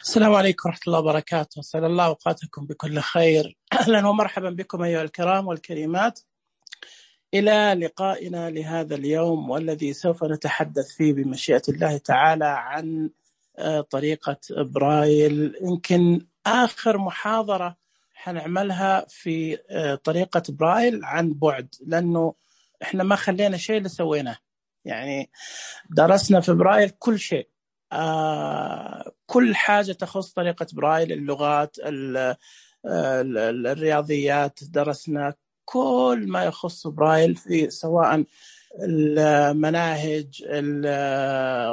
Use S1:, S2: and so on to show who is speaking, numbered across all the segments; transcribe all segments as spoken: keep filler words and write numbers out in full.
S1: السلام عليكم ورحمة الله وبركاته. أسأل الله أوقاتكم بكل خير. أهلا ومرحبا بكم أيها الكرام والكريمات إلى لقائنا لهذا اليوم، والذي سوف نتحدث فيه بمشيئة الله تعالى عن طريقة برايل. يمكن آخر محاضرة حنعملها في طريقة برايل عن بعد، لأنه إحنا ما خلينا شيء اللي سويناه، يعني درسنا في برايل كل شيء، آه كل حاجة تخص طريقة برايل، اللغات، الرياضيات، درسنا كل ما يخص برايل في سواء المناهج،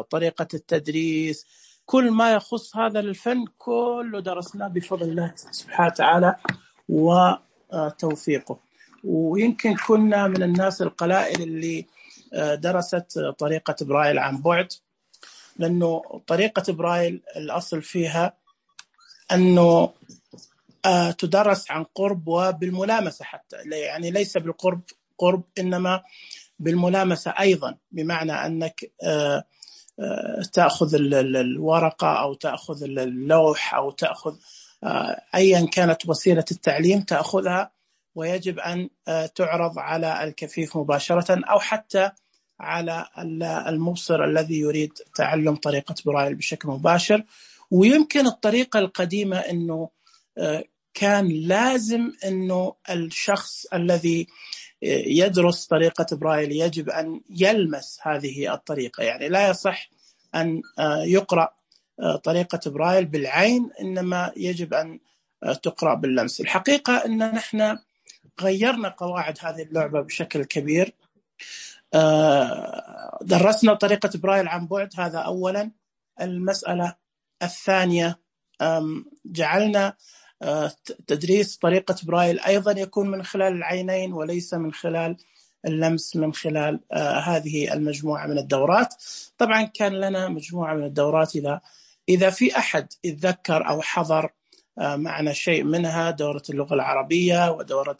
S1: طريقة التدريس، كل ما يخص هذا الفن كله درسناه بفضل الله سبحانه وتعالى وتوفيقه. ويمكن كنا من الناس القلائل اللي درست طريقة برايل عن بعد، لأنه طريقة برايل الأصل فيها أنه تدرس عن قرب وبالملامسة حتى، يعني ليس بالقرب قرب إنما بالملامسة أيضا، بمعنى أنك تأخذ الورقة أو تأخذ اللوح أو تأخذ أيا كانت وسيلة التعليم تأخذها، ويجب أن تعرض على الكفيف مباشرة أو حتى على المبصر الذي يريد تعلم طريقة برايل بشكل مباشر. ويمكن الطريقة القديمة أنه كان لازم أنه الشخص الذي يدرس طريقة برايل يجب أن يلمس هذه الطريقة، يعني لا يصح أن يقرأ طريقة برايل بالعين، إنما يجب أن تقرأ باللمس. الحقيقة أن نحن غيرنا قواعد هذه اللعبة بشكل كبير. درسنا طريقة برايل عن بعد، هذا أولا. المسألة الثانية، جعلنا تدريس طريقة برايل أيضا يكون من خلال العينين وليس من خلال اللمس، من خلال هذه المجموعة من الدورات. طبعا كان لنا مجموعة من الدورات، إذا إذا في أحد يتذكر أو حضر معنا شيء منها، دورة اللغة العربية ودورة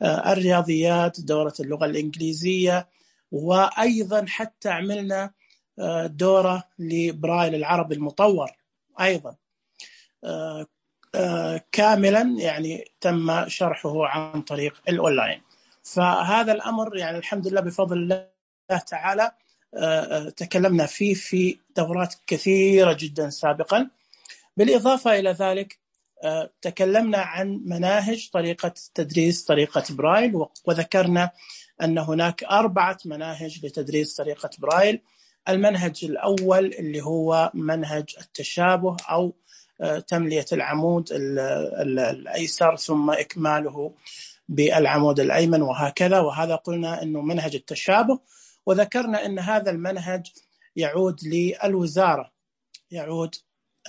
S1: الرياضيات، دورة اللغة الإنجليزية، وأيضا حتى عملنا دورة لبرايل العربي المطور أيضا كاملا، يعني تم شرحه عن طريق الأونلاين. فهذا الأمر يعني الحمد لله بفضل الله تعالى تكلمنا فيه في دورات كثيرة جدا سابقا. بالإضافة إلى ذلك تكلمنا عن مناهج طريقة تدريس طريقة برايل، وذكرنا أن هناك أربعة مناهج لتدريس طريقة برايل. المنهج الأول اللي هو منهج التشابه أو تملية العمود الأيسر ثم إكماله بالعمود الأيمن وهكذا، وهذا قلنا أنه منهج التشابه. وذكرنا أن هذا المنهج يعود للوزارة، يعود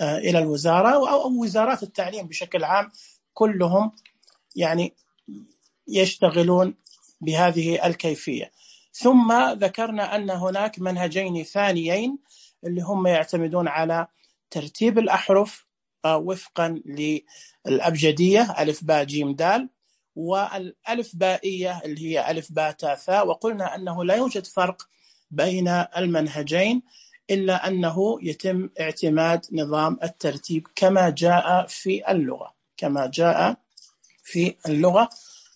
S1: إلى الوزارة أو وزارات التعليم بشكل عام، كلهم يعني يشتغلون بهذه الكيفية. ثم ذكرنا أن هناك منهجين ثانيين اللي هم يعتمدون على ترتيب الأحرف وفقا للأبجدية ألف باء جيم دال، والألف بائية اللي هي ألف باء تاء ثاء. وقلنا أنه لا يوجد فرق بين المنهجين إلا أنه يتم اعتماد نظام الترتيب كما جاء في اللغة، كما جاء في اللغة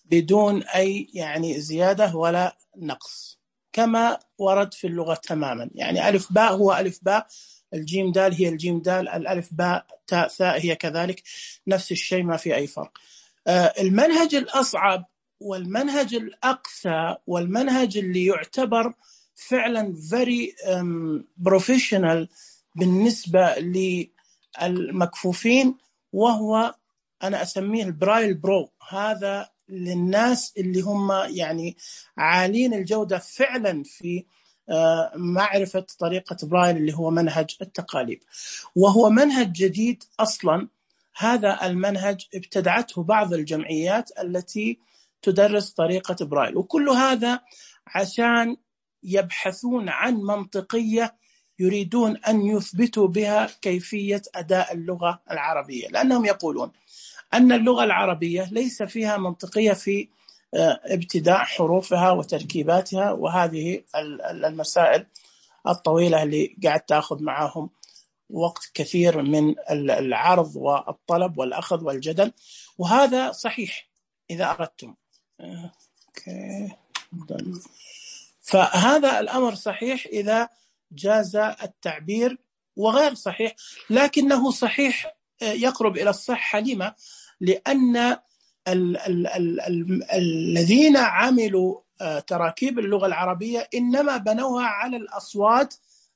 S1: بدون أي يعني زيادة ولا نقص، كما ورد في اللغة تماما. يعني ألف باء هو ألف باء، الجيم دال هي الجيم دال، الألف باء تاء ثاء هي كذلك، نفس الشيء، ما في أي فرق. المنهج الأصعب والمنهج الأقسى والمنهج اللي يعتبر فعلا very professional بالنسبة للمكفوفين، وهو أنا أسميه البرايل برو. هذا للناس اللي هم يعني عالين الجودة فعلا في معرفة طريقة برايل، اللي هو منهج التقاليب، وهو منهج جديد أصلا. هذا المنهج ابتدعته بعض الجمعيات التي تدرس طريقة برايل، وكل هذا عشان يبحثون عن منطقية يريدون أن يثبتوا بها كيفية أداء اللغة العربية، لأنهم يقولون أن اللغة العربية ليس فيها منطقية في ابتداء حروفها وتركيباتها، وهذه المسائل الطويلة اللي قاعد تأخذ معهم وقت كثير من العرض والطلب والأخذ والجدل، وهذا صحيح إذا أردتم. أوكي. فهذا الأمر صحيح إذا جاز التعبير، وغير صحيح لكنه صحيح يقرب إلى الصحة. لما؟ لأن ال ال ال ال الذين عملوا تراكيب اللغة العربية إنما بنوها على الأصوات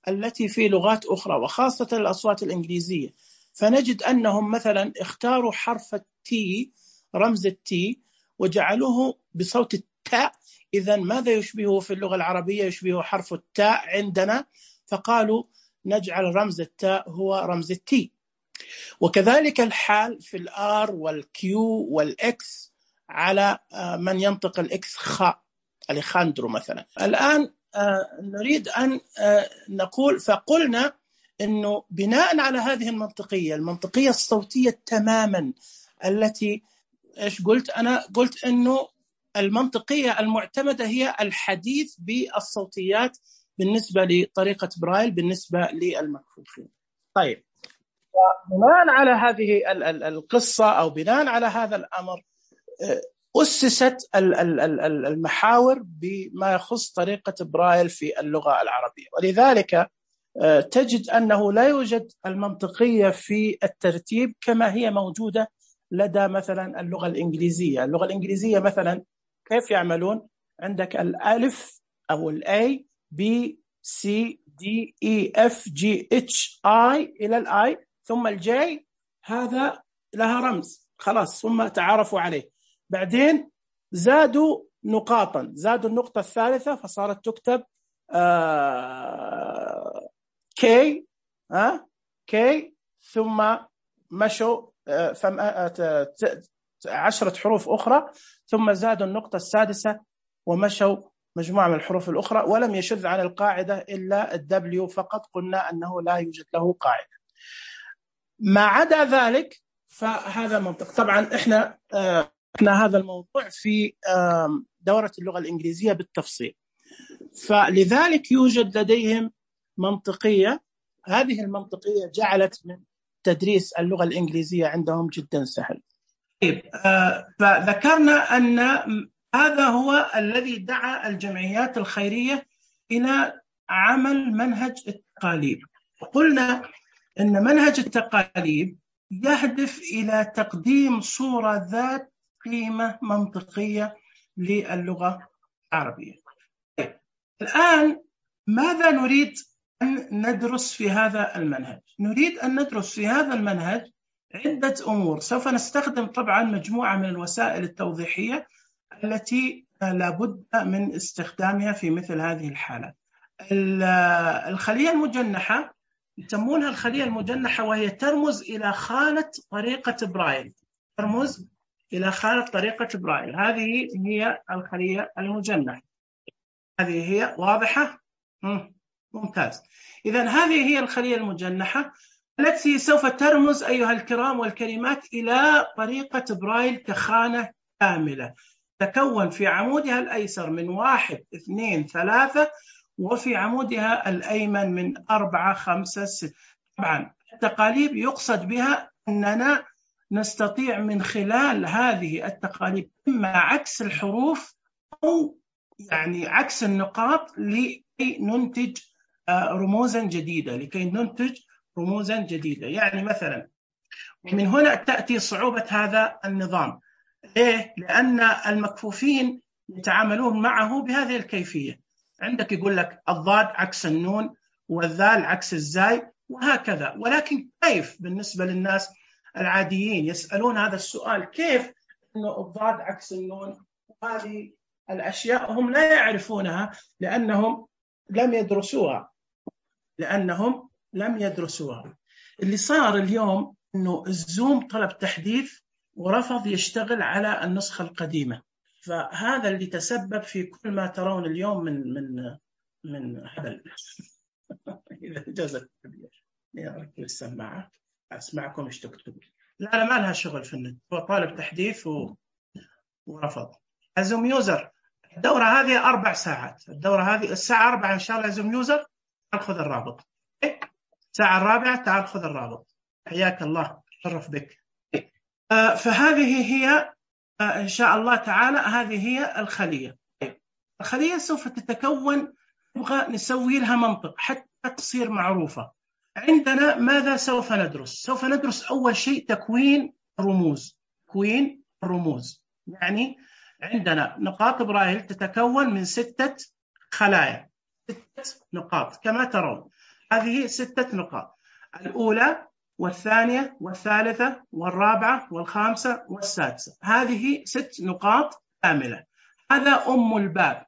S1: التي في لغات أخرى، وخاصة الأصوات الإنجليزية. فنجد أنهم مثلا اختاروا حرف التي، رمز التي، وجعلوه بصوت التاء. إذن ماذا يشبهه في اللغة العربية؟ يشبهه حرف التاء عندنا، فقالوا نجعل رمز التاء هو رمز التي. وكذلك الحال في الآر والكيو والإكس على من ينطق الإكس خاء، أليخاندرو مثلا. الآن نريد أن نقول، فقلنا أنه بناء على هذه المنطقية المنطقية الصوتية تماما التي إيش قلت أنا؟ قلت أنه المنطقية المعتمدة هي الحديث بالصوتيات بالنسبة لطريقة برايل بالنسبة للمكفوفين. طيب، بناء على هذه القصة أو بناء على هذا الأمر أسست المحاور بما يخص طريقة برايل في اللغة العربية. ولذلك تجد أنه لا يوجد المنطقية في الترتيب كما هي موجودة لدى مثلا اللغة الإنجليزية. اللغة الإنجليزية مثلا كيف يعملون؟ عندك الألف أو الأي B C D E F G H I إلى الآي، ثم الجي هذا لها رمز خلاص، ثم تعرفوا عليه. بعدين زادوا نقاطا، زادوا النقطة الثالثة فصارت تكتب آه كي آه كي، ثم مشوا آه عشرة حروف أخرى، ثم زادوا النقطة السادسة ومشوا مجموعة من الحروف الأخرى، ولم يشذ عن القاعدة إلا الدبليو فقط، قلنا أنه لا يوجد له قاعدة. ما عدا ذلك فهذا منطق. طبعا إحنا آه إحنا هذا الموضوع في آه دورة اللغة الإنجليزية بالتفصيل، فلذلك يوجد لديهم منطقية. هذه المنطقية جعلت من تدريس اللغة الإنجليزية عندهم جدا سهل. طيب، آه فذكرنا أن هذا هو الذي دعا الجمعيات الخيرية إلى عمل منهج التقاليب. قلنا أن منهج التقاليب يهدف إلى تقديم صورة ذات قيمة منطقية للغة العربية. الآن ماذا نريد أن ندرس في هذا المنهج؟ نريد أن ندرس في هذا المنهج عدة أمور. سوف نستخدم طبعا مجموعة من الوسائل التوضيحية التي لابد من استخدامها في مثل هذه الحالة. الخلية المجنحة يسمونها الخلية المجنحة، وهي ترمز إلى خانة طريقة برايل، ترمز إلى خانة طريقة برايل. هذه هي الخلية المجنحة، هذه هي واضحة؟ ممتاز. إذن هذه هي الخلية المجنحة التي سوف ترمز أيها الكرام والكريمات إلى طريقة برايل كخانة كاملة تكون في عمودها الأيسر من واحد اثنين ثلاثة، وفي عمودها الأيمن من أربعة خمسة ستة. طبعا التقاليب يقصد بها أننا نستطيع من خلال هذه التقاليب إما عكس الحروف أو يعني عكس النقاط لكي ننتج رموزا جديدة لكي ننتج رموزا جديدة. يعني مثلا من هنا تأتي صعوبة هذا النظام. ليه؟ لأن المكفوفين يتعاملون معه بهذه الكيفية. عندك يقول لك الضاد عكس النون والذال عكس الزاي وهكذا. ولكن كيف بالنسبة للناس العاديين يسألون هذا السؤال، كيف أنه الضاد عكس النون؟ هذه الأشياء هم لا يعرفونها لأنهم لم يدرسوها لأنهم لم يدرسوها. اللي صار اليوم أنه الزوم طلب تحديث ورفض يشتغل على النسخة القديمة، فهذا اللي تسبب في كل ما ترون اليوم من من من هبل. إذا جازت أركب السماعة أسمعكم إيش تكتب. لا لا ما لها شغل في النت، هو طالب تحديث و... ورفض. زوم يوزر الدورة هذه أربع ساعات، الدورة هذه الساعة أربعة إن شاء الله. زوم يوزر أخذ الرابط. الساعة الرابعة تعال خذ الرابط. حياك الله، شرف بك. آه فهذه هي آه إن شاء الله تعالى هذه هي الخلية. الخلية سوف تتكون، نبغى نسوي لها منطق حتى تصير معروفة. عندنا ماذا سوف ندرس؟ سوف ندرس أول شيء تكوين الرموز. تكوين الرموز يعني عندنا نقاط برايل تتكون من ستة خلايا، ستة نقاط كما ترون. هذه ستة نقاط، الأولى والثانية والثالثة والرابعة والخامسة والسادسة، هذه ست نقاط كاملة. هذا أم الباب.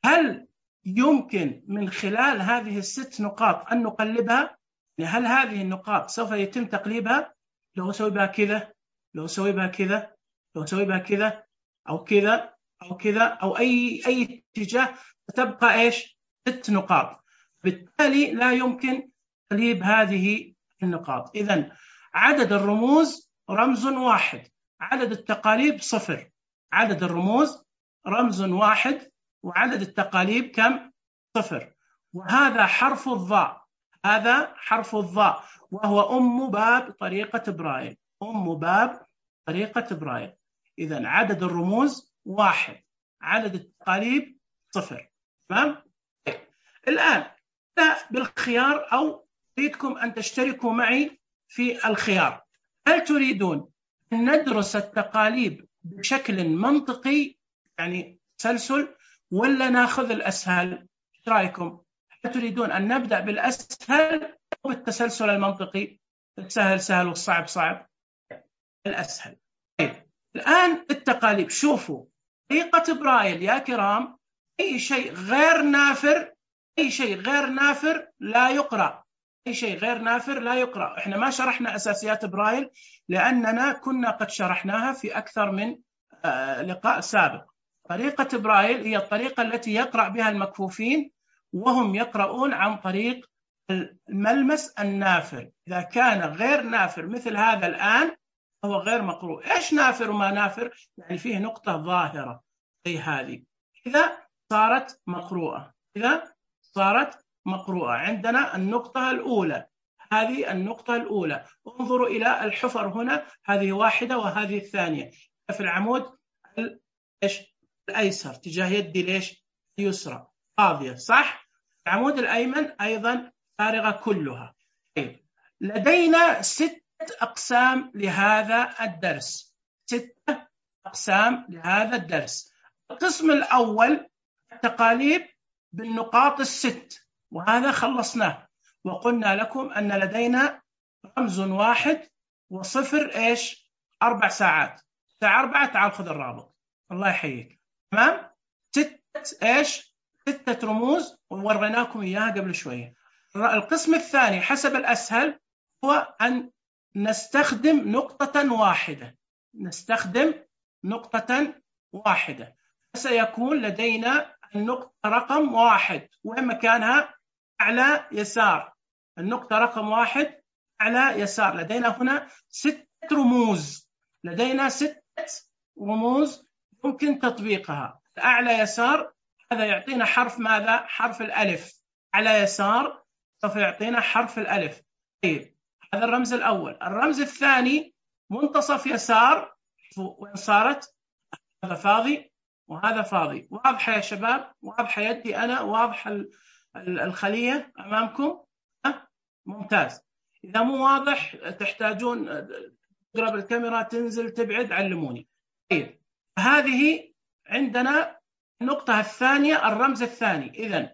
S1: هل يمكن من خلال هذه الست نقاط أن نقلبها؟ هل هذه النقاط سوف يتم تقليبها؟ لو أسوي بها كذا، لو أسوي بها كذا، لو أسوي بها كذا أو كذا أو كذا أو أي أي اتجاه، تبقى إيش؟ ست نقاط. بالتالي لا يمكن تقليب هذه النقاط. إذن عدد الرموز رمز واحد، عدد التقاليب صفر. عدد الرموز رمز واحد وعدد التقاليب كم؟ صفر. وهذا حرف الضاء، هذا حرف الضاء وهو أم باب طريقة برايل، أم باب طريقة برايل. إذن عدد الرموز واحد، عدد التقاليب صفر. تمام؟ الآن بالخيار أو أريدكم أن تشتركوا معي في الخيار. هل تريدون أن ندرس التقاليب بشكل منطقي يعني تسلسل، ولا ناخذ الأسهل؟ ايش رايكم؟ هل تريدون أن نبدأ بالأسهل أو بالتسلسل المنطقي؟ السهل سهل والصعب صعب. الأسهل. طيب الآن التقاليب، شوفوا طريقة برايل يا كرام، أي شيء غير نافر، أي شيء غير نافر لا يقرأ، أي شيء غير نافر لا يقرأ. إحنا ما شرحنا أساسيات برايل لأننا كنا قد شرحناها في أكثر من لقاء سابق. طريقة برايل هي الطريقة التي يقرأ بها المكفوفين وهم يقرؤون عن طريق الملمس النافر. إذا كان غير نافر مثل هذا الآن هو غير مقروء. إيش نافر وما نافر؟ يعني فيه نقطة ظاهرة زي هذه، إذا صارت مقروءة، إذا صارت مقروءة. عندنا النقطة الأولى، هذه النقطة الأولى. انظروا إلى الحفر هنا، هذه واحدة وهذه الثانية في العمود إيش الأيسر تجاه يدي ليش اليسرى فاضية، صح؟ العمود الأيمن أيضا فارغة كلها. طيب لدينا ستة أقسام لهذا الدرس، ستة أقسام لهذا الدرس. القسم الأول التقاليب بالنقاط الست، وهذا خلصناه وقلنا لكم أن لدينا رمز واحد وصفر إيش أربع ساعات. الساعة أربعة تعال خذ الرابط، الله يحييك. تمام؟ ستة إيش؟ ستة رموز ووريناكم إياها قبل شوية. القسم الثاني حسب الأسهل هو أن نستخدم نقطة واحدة، نستخدم نقطة واحدة. فسيكون لدينا النقطة رقم واحد، وين مكانها؟ أعلى يسار. النقطة رقم واحد أعلى يسار. لدينا هنا ستة رموز، لدينا ستة رموز يمكن تطبيقها. أعلى يسار هذا يعطينا حرف ماذا؟ حرف الألف. أعلى يسار سوف يعطينا حرف الألف. طيب هذا الرمز الأول. الرمز الثاني منتصف يسار، وين صارت؟ هذا فاضي وهذا فاضي. واضحة يا شباب؟ واضحة يدي أنا؟ واضح الخلية أمامكم؟ أه؟ ممتاز. إذا مو واضح تحتاجون تقرب الكاميرا، تنزل، تبعد، علموني. طيب هذه عندنا النقطة الثانية، الرمز الثاني. إذن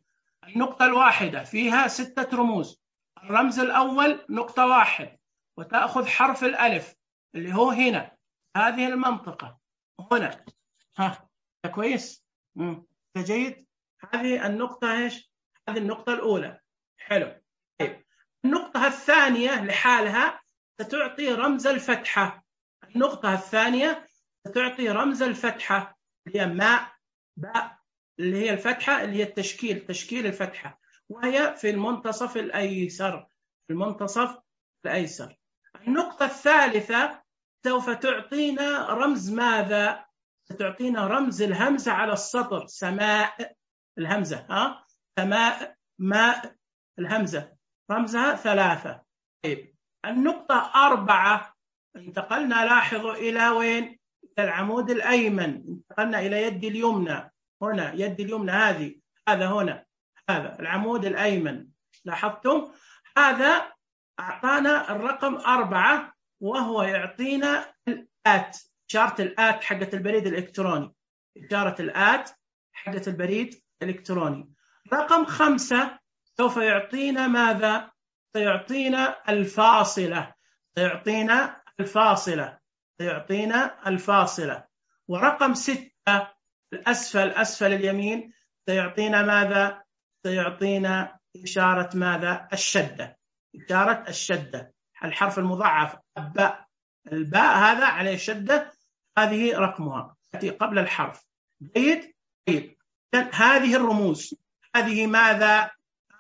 S1: النقطة الواحدة فيها ستة رموز. الرمز الأول نقطة واحد وتأخذ حرف الألف اللي هو هنا، هذه المنطقة هنا. ها كويس؟ مم. جيد. هذه النقطة إيش؟ هذه النقطة الأولى. حلو. طيب النقطة الثانية لحالها ستعطي رمز الفتحة. النقطة الثانية ستعطي رمز الفتحة اللي هي ماء باء، اللي هي الفتحة اللي هي التشكيل، تشكيل الفتحة، وهي في المنتصف الأيسر، في المنتصف الأيسر. النقطة الثالثة سوف تعطينا رمز ماذا؟ ستعطينا رمز الهمزة على السطر، سماء، الهمزة، ها سماء، ماء، الهمزة. رمزها ثلاثة. طيب النقطة أربعة انتقلنا، لاحظوا إلى وين؟ إلى العمود الأيمن، انتقلنا إلى يدي اليمنى، هنا يدي اليمنى هذه، هذا هنا، هذا العمود الأيمن، لاحظتم؟ هذا أعطانا الرقم أربعة، وهو يعطينا الآت، إشارة الآت حقة البريد الإلكتروني، إشارة الآت حقة البريد الإلكتروني. رقم خمسة سوف يعطينا ماذا؟ سيعطينا الفاصلة، سيعطينا الفاصلة، سيعطينا الفاصلة. ورقم ستة الأسفل، أسفل اليمين، سيعطينا ماذا؟ سيعطينا إشارة ماذا؟ الشدة، إشارة الشدة، الحرف المضاعف باء، الباء هذا عليه شدة، هذه رقمها تأتي قبل الحرف. جيد؟ جيد. هذه الرموز، هذه ماذا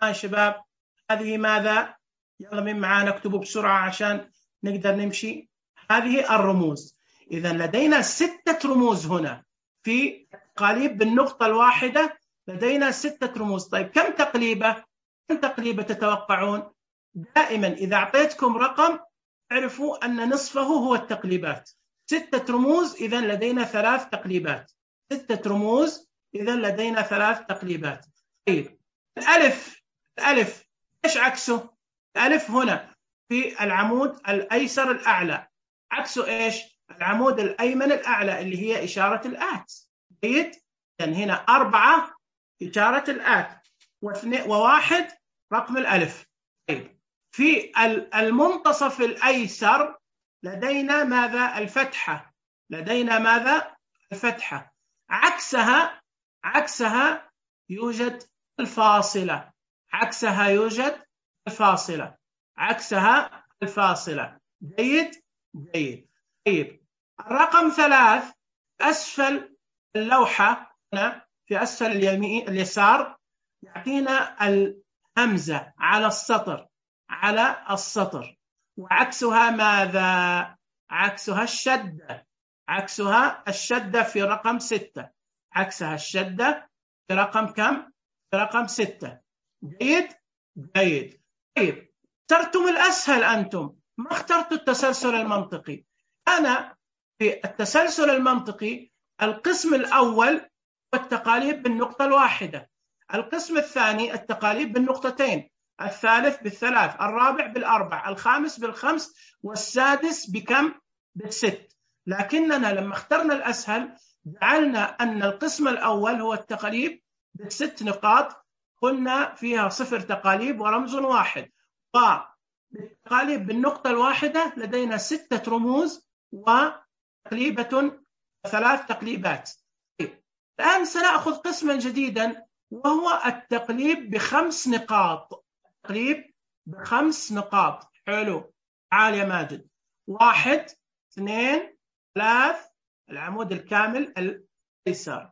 S1: يا شباب؟ هذه ماذا؟ يلا من معانا اكتبوا بسرعة عشان نقدر نمشي. هذه الرموز. إذا لدينا ستة رموز هنا في تقاليب بالنقطة الواحدة، لدينا ستة رموز. طيب كم تقليبة؟ كم تقليبة تتوقعون؟ دائما إذا أعطيتكم رقم اعرفوا أن نصفه هو التقليبات. ستة رموز، إذا لدينا ثلاث تقليبات. ستة رموز، إذا لدينا ثلاث تقليبات. طيب الألف، الألف إيش عكسه؟ الألف هنا في العمود الأيسر الأعلى، عكسه إيش؟ العمود الأيمن الأعلى اللي هي إشارة الآت. جيد؟ يعني هنا أربعة إشارة الآت، واثنين وواحد رقم الألف. طيب في المنتصف الأيسر لدينا ماذا؟ الفتحة، لدينا ماذا؟ الفتحة. عكسها، عكسها يوجد الفاصلة، عكسها يوجد الفاصلة، عكسها الفاصلة. جيد؟ جيد. طيب الرقم ثلاث أسفل اللوحة هنا في أسفل اليمين اليسار يعطينا الهمزة على السطر، على السطر، وعكسها ماذا؟ عكسها الشدة، عكسها الشدة في رقم ستة، عكسها الشدة في رقم كم؟ في رقم ستة. جيد؟ جيد. طيب اخترتم الأسهل أنتم، ما اخترتوا التسلسل المنطقي. أنا في التسلسل المنطقي القسم الأول والتقاليب بالنقطة الواحدة، القسم الثاني التقاليب بالنقطتين، الثالث بالثلاث، الرابع بالأربع، الخامس بالخمس، والسادس بكم؟ بالست. لكننا لما اخترنا الأسهل جعلنا أن القسم الأول هو التقاليب بالست نقاط، قلنا فيها صفر تقاليب ورمز واحد، والتقاليب بالنقطة الواحدة لدينا ستة رموز وتقليبة ثلاث تقليبات. الآن سنأخذ قسما جديدا وهو التقليب بخمس نقاط، التقليب بخمس نقاط. حلو، تعال يا ماجد. واحد، اثنين، ثلاث، العمود الكامل الأيسر،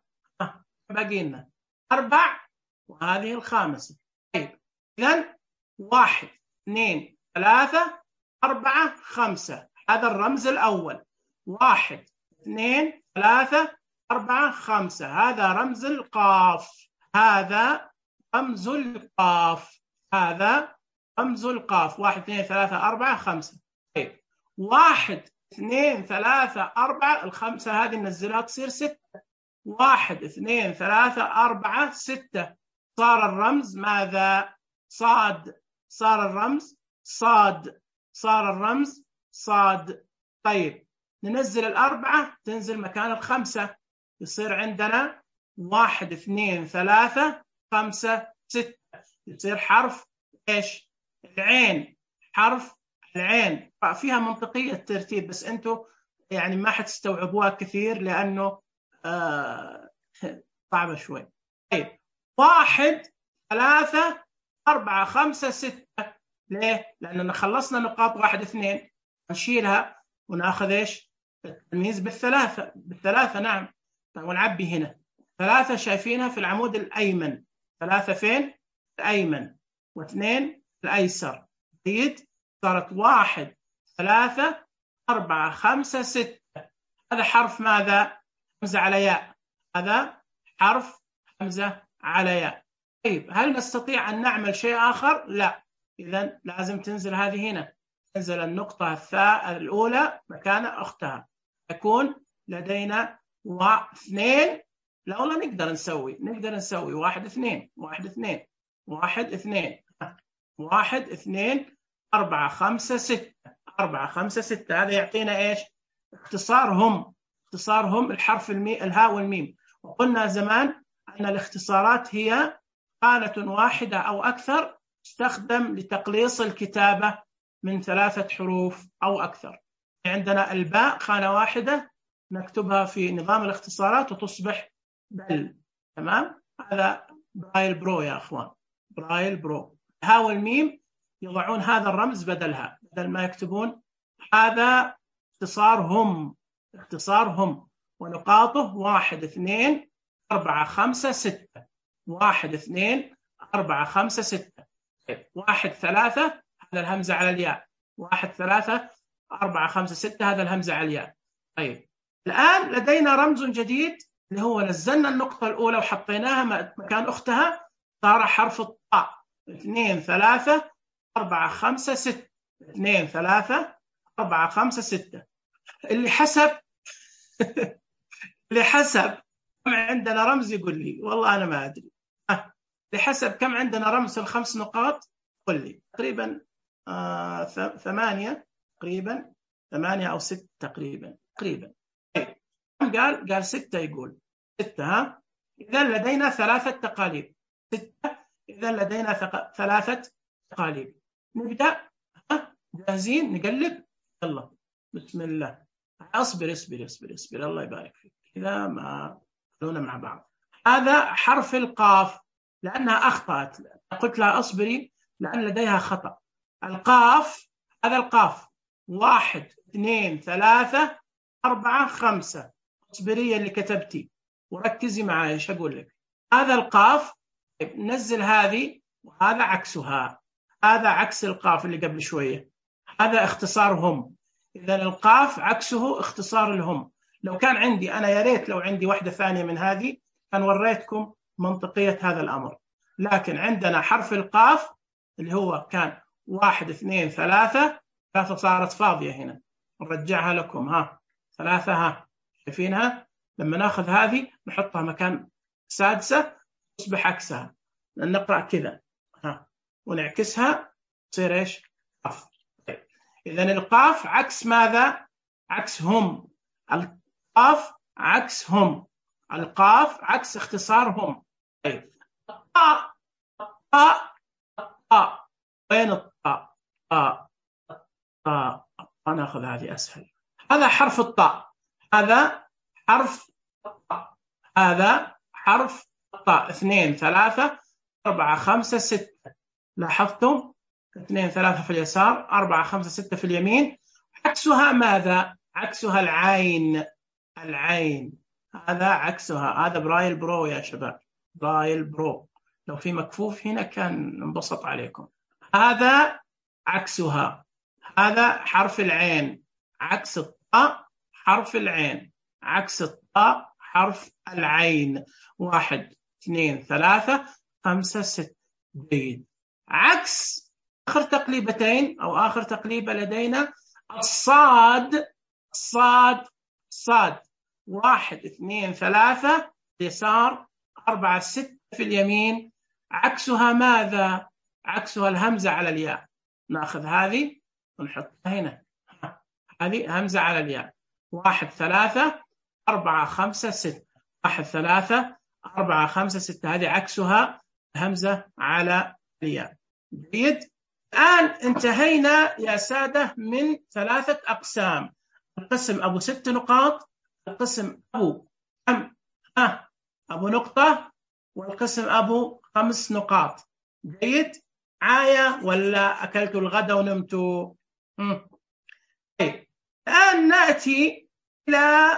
S1: باقي لنا أربع، وهذه الخامسة. طيب إذن واحد، اثنين، ثلاثة، أربعة، خمسة، هذا الرمز الأول. واحد، اثنين، ثلاثة، أربعة، خمسة، هذا رمز القاف، هذا رمز القاف، هذا رمز القاف. واحد، اثنين، ثلاثة، أربعة، خمسة. طيب واحد، اثنين، ثلاثة، أربعة، الخمسة هذه ننزلها تصير ستة. واحد، اثنين، ثلاثة، أربعة، ستة، صار الرمز ماذا؟ صاد، صار الرمز صاد، صار الرمز صاد. طيب ننزل الأربعة تنزل مكان الخمسة، يصير عندنا واحد، اثنين، ثلاثة، خمسة، ستة، يصير حرف إيش؟ العين، حرف العين. فيها منطقية الترتيب بس أنتوا يعني ما حتستوعبوها كثير لأنه آه صعبة شوي. طيب واحد، ثلاثة، أربعة، خمسة، ستة، ليه؟ لأننا خلصنا نقاط واحد اثنين، نشيلها ونأخذ إيش؟ التمييز بالثلاثة، بالثلاثة نعم. طيب ونعبي هنا ثلاثة، شايفينها في العمود الأيمن، ثلاثة فين؟ الأيمن، واثنين الأيسر. جيد؟ صارت واحد، ثلاثة، أربعة، خمسة، ستة، هذا حرف ماذا؟ همزة على ياء، هذا حرف همزة على ياء. طيب هل نستطيع أن نعمل شيء آخر؟ لا، إذن لازم تنزل هذه هنا، تنزل النقطة الثاء الأولى مكان أختها، يكون لدينا واثنين. لا والله نقدر نسوي نقدر نسوي واحد اثنين واحد اثنين واحد اثنين واحد اثنين أربعة خمسة ستة أربعة خمسة ستة. هذا يعطينا إيش؟ اختصارهم اختصارهم الحرف المي الهاء والميم. وقلنا زمان أن الاختصارات هي خانة واحدة أو أكثر تستخدم لتقليص الكتابة من ثلاثة حروف أو أكثر. عندنا الباء خانة واحدة نكتبها في نظام الاختصارات وتصبح بل. تمام؟ هذا برايل برو يا أخوان، برايل برو. الهاء والميم يضعون هذا الرمز بدلها، بدل ما يكتبون هذا اختصارهم اختصارهم ونقاطه واحد اثنين أربعة خمسة ستة واحد اثنين أربعة خمسة ستة. واحد ثلاثة هذا الهمزة على الياء، واحد ثلاثة أربعة خمسة ستة هذا الهمزة على الياء. طيب الآن لدينا رمز جديد اللي هو نزلنا النقطة الأولى وحطيناها مكان أختها، صار حرف الطاء. اثنين ثلاثة أربعة خمسة ستة اثنين ثلاثة أربعة خمسة ستة. اللي حسب اللي حسب كم عندنا رمز يقول لي، والله أنا ما أدري. أه. لحسب كم عندنا رمز الخمس نقاط قل لي. تقريبا آه ثمانية تقريبا ثمانية أو ستة تقريبا تقريبا. قال قال ستة، يقول ستة. ها إذا لدينا ثلاثة تقاليب. ستة إذا لدينا ثق... ثلاثة تقاليب. نبدأ. ها جاهزين نقلب؟ يلا بسم الله. أصبر اصبر اصبر اصبر الله يبارك فيك. إذا ما خلونا مع بعض. هذا حرف القاف لأنها أخطأت، قلت لها أصبري لأن لديها خطأ. القاف هذا القاف واحد اثنين ثلاثة أربعة خمسة. اصبري اللي كتبتي وركزي معايا ايش أقول لك. هذا القاف نزل هذه وهذا عكسها، هذا عكس القاف اللي قبل شوية، هذا اختصارهم. إذا القاف عكسه اختصار الهم. لو كان عندي أنا يا ريت لو عندي واحدة ثانية من هذه كان وريتكم منطقية هذا الأمر، لكن عندنا حرف القاف اللي هو كان واحد اثنين ثلاثة، ثلاثة صارت فاضية هنا نرجعها لكم. ها ثلاثة، ها شايفينها؟ لما ناخذ هذه نحطها مكان سادسة تصبح عكسها، نقرأ كذا ها ونعكسها تصير ايش؟ قاف. طيب. إذن القاف عكس ماذا؟ عكس هم. القاف عكس هم. القاف عكس اختصارهم. طيب الطاء الطاء الطاء وين الطاء؟ الطاء الطاء ناخذ هذه أسهل. هذا حرف الطاء، هذا حرف الطاء، هذا حرف الطاء. اثنين ثلاثة أربعة خمسة ستة. لاحظتم؟ اثنين ثلاثة في اليسار، أربعة خمسة ستة في اليمين. عكسها ماذا؟ عكسها العين. العين هذا عكسها. هذا برايل برو يا شباب، برايل برو. لو في مكفوف هنا كان انبسط عليكم. هذا عكسها، هذا حرف العين. عكس الطاء حرف العين، عكس الطاء حرف العين. واحد اثنين ثلاثة خمسة ستة. جيد. عكس آخر تقليبتين أو آخر تقليبة لدينا الصاد. الصاد صاد. واحد اثنين ثلاثة اليسار، أربعة ستة في اليمين. عكسها ماذا؟ عكسها الهمزة على الياء. نأخذ هذه ونحطها هنا، هذه همزة على الياء. واحد ثلاثة أربعة خمسة ستة. واحد ثلاثة أربعة خمسة ستة. هذه عكسها همزة على الياء. جيد. الآن انتهينا يا سادة من ثلاثة أقسام. القسم أبو ست نقاط، القسم أبو كم؟ ها أبو نقطة، والقسم أبو خمس نقاط. جيد. عاية ولا أكلتوا الغداء ونمتوا؟ طيب الآن نأتي إلى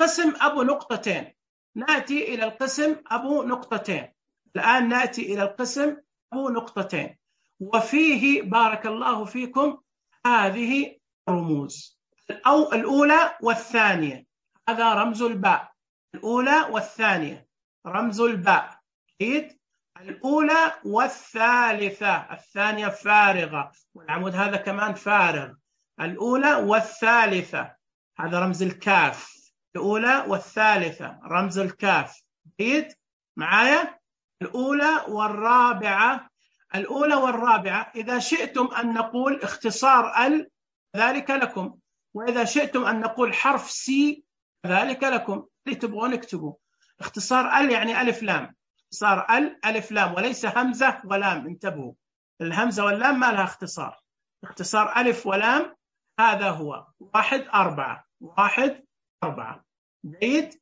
S1: قسم أبو نقطتين. نأتي إلى القسم أبو نقطتين. الآن نأتي إلى القسم أبو نقطتين، وفيه بارك الله فيكم هذه رموز. أو الأولى والثانية، هذا رمز الباء. الأولى والثانية رمز الباء. جيد. الأولى والثالثة، الثانية فارغة، والعمود هذا كمان فارغ. الأولى والثالثة هذا رمز الكاف، الأولى والثالثة رمز الكاف. جيد معايا؟ الأولى والرابعة، الأولى والرابعة إذا شئتم أن نقول اختصار ال ذلك لكم، وإذا شئتم أن نقول حرف سي ذلك لكم، اللي تبغون اكتبوا. اختصار ال يعني ألف لام، اختصار ال ألف لام وليس همزة ولام، انتبهوا، الهمزة واللام ما لها اختصار، اختصار ألف ولام هذا هو واحد أربعة، واحد أربعة. جيد؟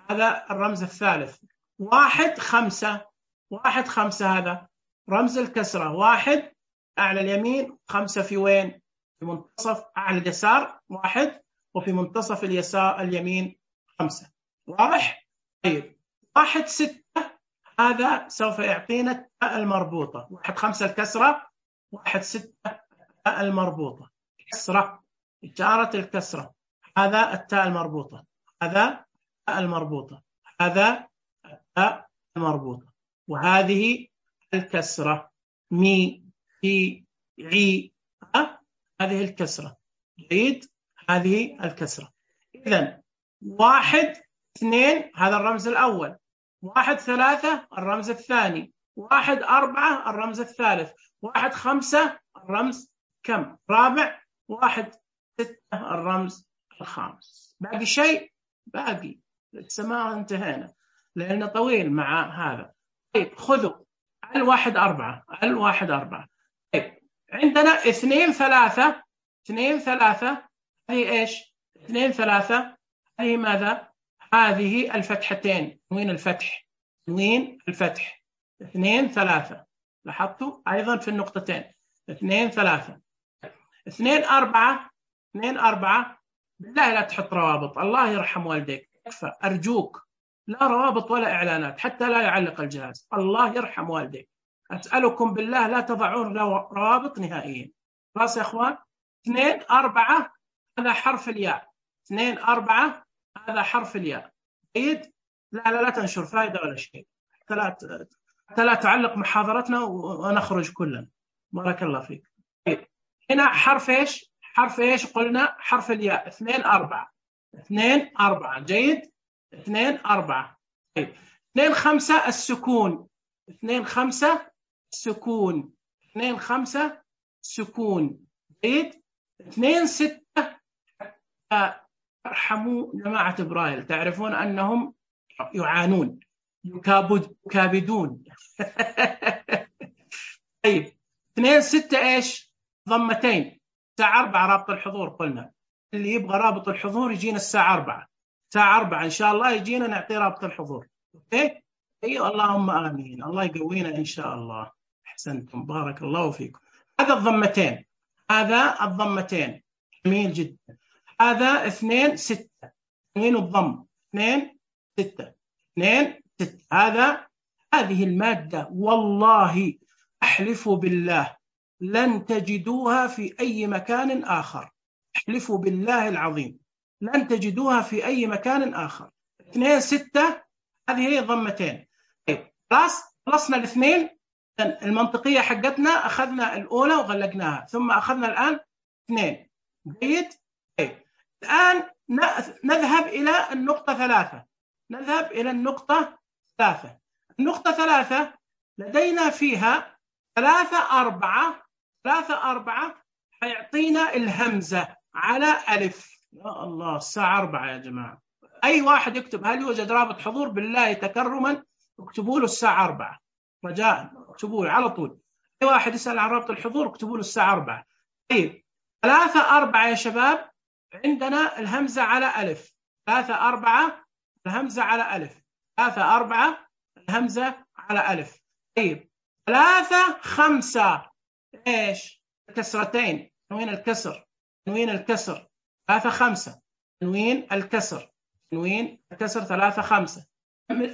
S1: هذا الرمز الثالث. واحد خمسة، واحد خمسة هذا رمز الكسرة، واحد أعلى اليمين، خمسة في وين؟ في منتصف أعلى اليسار واحد، وفي منتصف اليسار اليمين خمسة. واضح؟ طيب واحد ستة هذا سوف يعطينا التاء المربوطة، واحد خمسة الكسرة، واحد ستة التاء المربوطة، كسرة، إشارة الكسرة، هذا التاء المربوطة، هذا التاء المربوطة، هذا التاء المربوطة، وهذه الكسرة، مي في عي، ها؟ هذه الكسرة. جيد؟ هذه الكسرة. إذن واحد اثنين هذا الرمز الأول، واحد ثلاثة الرمز الثاني، واحد أربعة الرمز الثالث، واحد خمسة الرمز كم؟ رابع، واحد ستة الرمز الخامس. باقي شيء؟ باقي لسه ما انتهينا لأنه طويل مع هذا. طيب خذوا الواحد أربعة، الواحد أربعة. طيب عندنا اثنين ثلاثة، اثنين ثلاثة هذه إيش؟ اثنين ثلاثة هذه ماذا؟ هذه الفتحتين، تنوين الفتح، تنوين الفتح، اثنين ثلاثة، لاحظتوا أيضا في النقطتين، اثنين ثلاثة. اثنين أربعة، اثنين أربعة بالله لا تحط روابط، الله يرحم والديك، اكفى أرجوك، لا روابط ولا إعلانات حتى لا يعلق الجهاز، الله يرحم والديك، أسألكم بالله لا تضعون روابط نهائيا. خلاص يا أخوان؟ اثنين أربعة هذا حرف الياء، اثنين أربعة هذا حرف الياء. جيد؟ لا لا لا تنشر فائدة ولا شيء، حتى لا حتى لا تعلق محاضرتنا ونخرج كلنا. بارك الله فيك. طيب هنا حرف إيش؟ حرف إيش قلنا؟ حرف الياء، اثنين أربعة، اثنين أربعة. جيد؟ اثنين أربعة. طيب اثنين خمسة السكون، اثنين خمسة السكون، اثنين خمسة السكون. جيد؟ اثنين ستة ارحموا جماعة برايل، تعرفون أنهم يعانون، يكابد يكابدون. طيب اثنين ستة إيش؟ ضمتين، الساعة أربعة رابط الحضور قلنا، اللي يبغى رابط الحضور يجينا الساعة أربعة، الساعة أربعة إن شاء الله يجينا نعطي رابط الحضور. أوكي؟ أيوة اللهم آمين، الله يقوينا إن شاء الله. أحسنتم، بارك الله فيكم. هذا الضمتين، هذا الضمتين جميل جدا. هذا اثنين ستة، اثنين الضم، اثنين ستة، اثنين ستة. هذا هذه المادة والله أحلف بالله لن تجدوها في أي مكان آخر، أحلف بالله العظيم لن تجدوها في أي مكان آخر. اثنين ستة هذه هي ضمتين. طيب خلاص خلصنا الاثنين المنطقية حقتنا، أخذنا الأولى وغلقناها، ثم أخذنا الآن اثنين. جيد؟ طيب الآن نذهب إلى النقطة ثلاثة، نذهب إلى النقطة ثلاثة. النقطة ثلاثة لدينا فيها ثلاثة أربعة، ثلاثة أربعة حيعطينا الهمزة على ألف. يا الله الساعة أربعة يا جماعة، أي واحد يكتب هل يوجد رابط حضور بالله تكرما اكتبوا له الساعة أربعة، رجاء اكتبوا له على طول، أي واحد يسأل عن رابط الحضور اكتبوا له الساعة أربعة. طيب ثلاثة أربعة يا شباب عندنا الهمزة على ألف، ثلاثة أربعة الهمزة على ألف، ثلاثة أربعة الهمزة على ألف. طيب ثلاثة خمسة إيش؟ كسرتين، تنوين الكسر، تنوين الكسر، ثلاثة خمسة تنوين الكسر، تنوين الكسر، ثلاثة خمسة.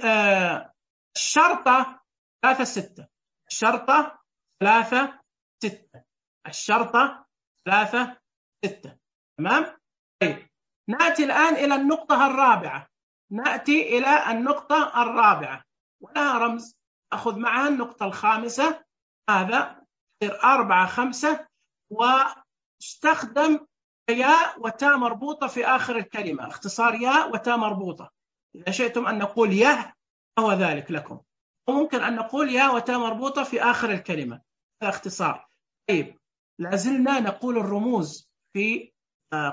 S1: آه الشرطة ثلاثة ستة، الشرطة ثلاثة ستة، الشرطة ثلاثة ستة. تمام؟ طيب نأتي الآن إلى النقطة الرابعة، نأتي إلى النقطة الرابعة ولها رمز، أخذ معها النقطة الخامسة، هذا يصير أربعة خمسة، واستخدم ياء وتاء مربوطة في آخر الكلمة، اختصار ياء وتاء مربوطة. إذا شئتم أن نقول يه هو ذلك لكم، وممكن أن نقول ياء وتاء مربوطة في آخر الكلمة، هذا اختصار. طيب لازلنا نقول الرموز في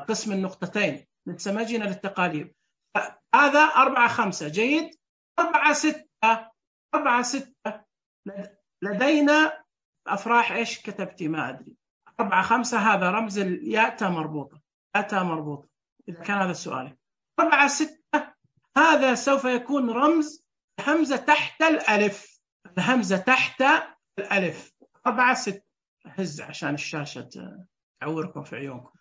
S1: قسم النقطتين، لسه ما جينا للتقاليد. هذا أربعة خمسة، جيد. أربعة ستة، أربعة ستة لدينا أفراح إيش كتبتي ما أدري. أربعة خمسة هذا رمز الياء تاء مربوطة، ياء تاء مربوطة إذا كان هذا السؤال. أربعة ستة هذا سوف يكون رمز الهمزة تحت الألف، الهمزة تحت الألف. أربعة ستة هز عشان الشاشة تعوركم في عيونكم.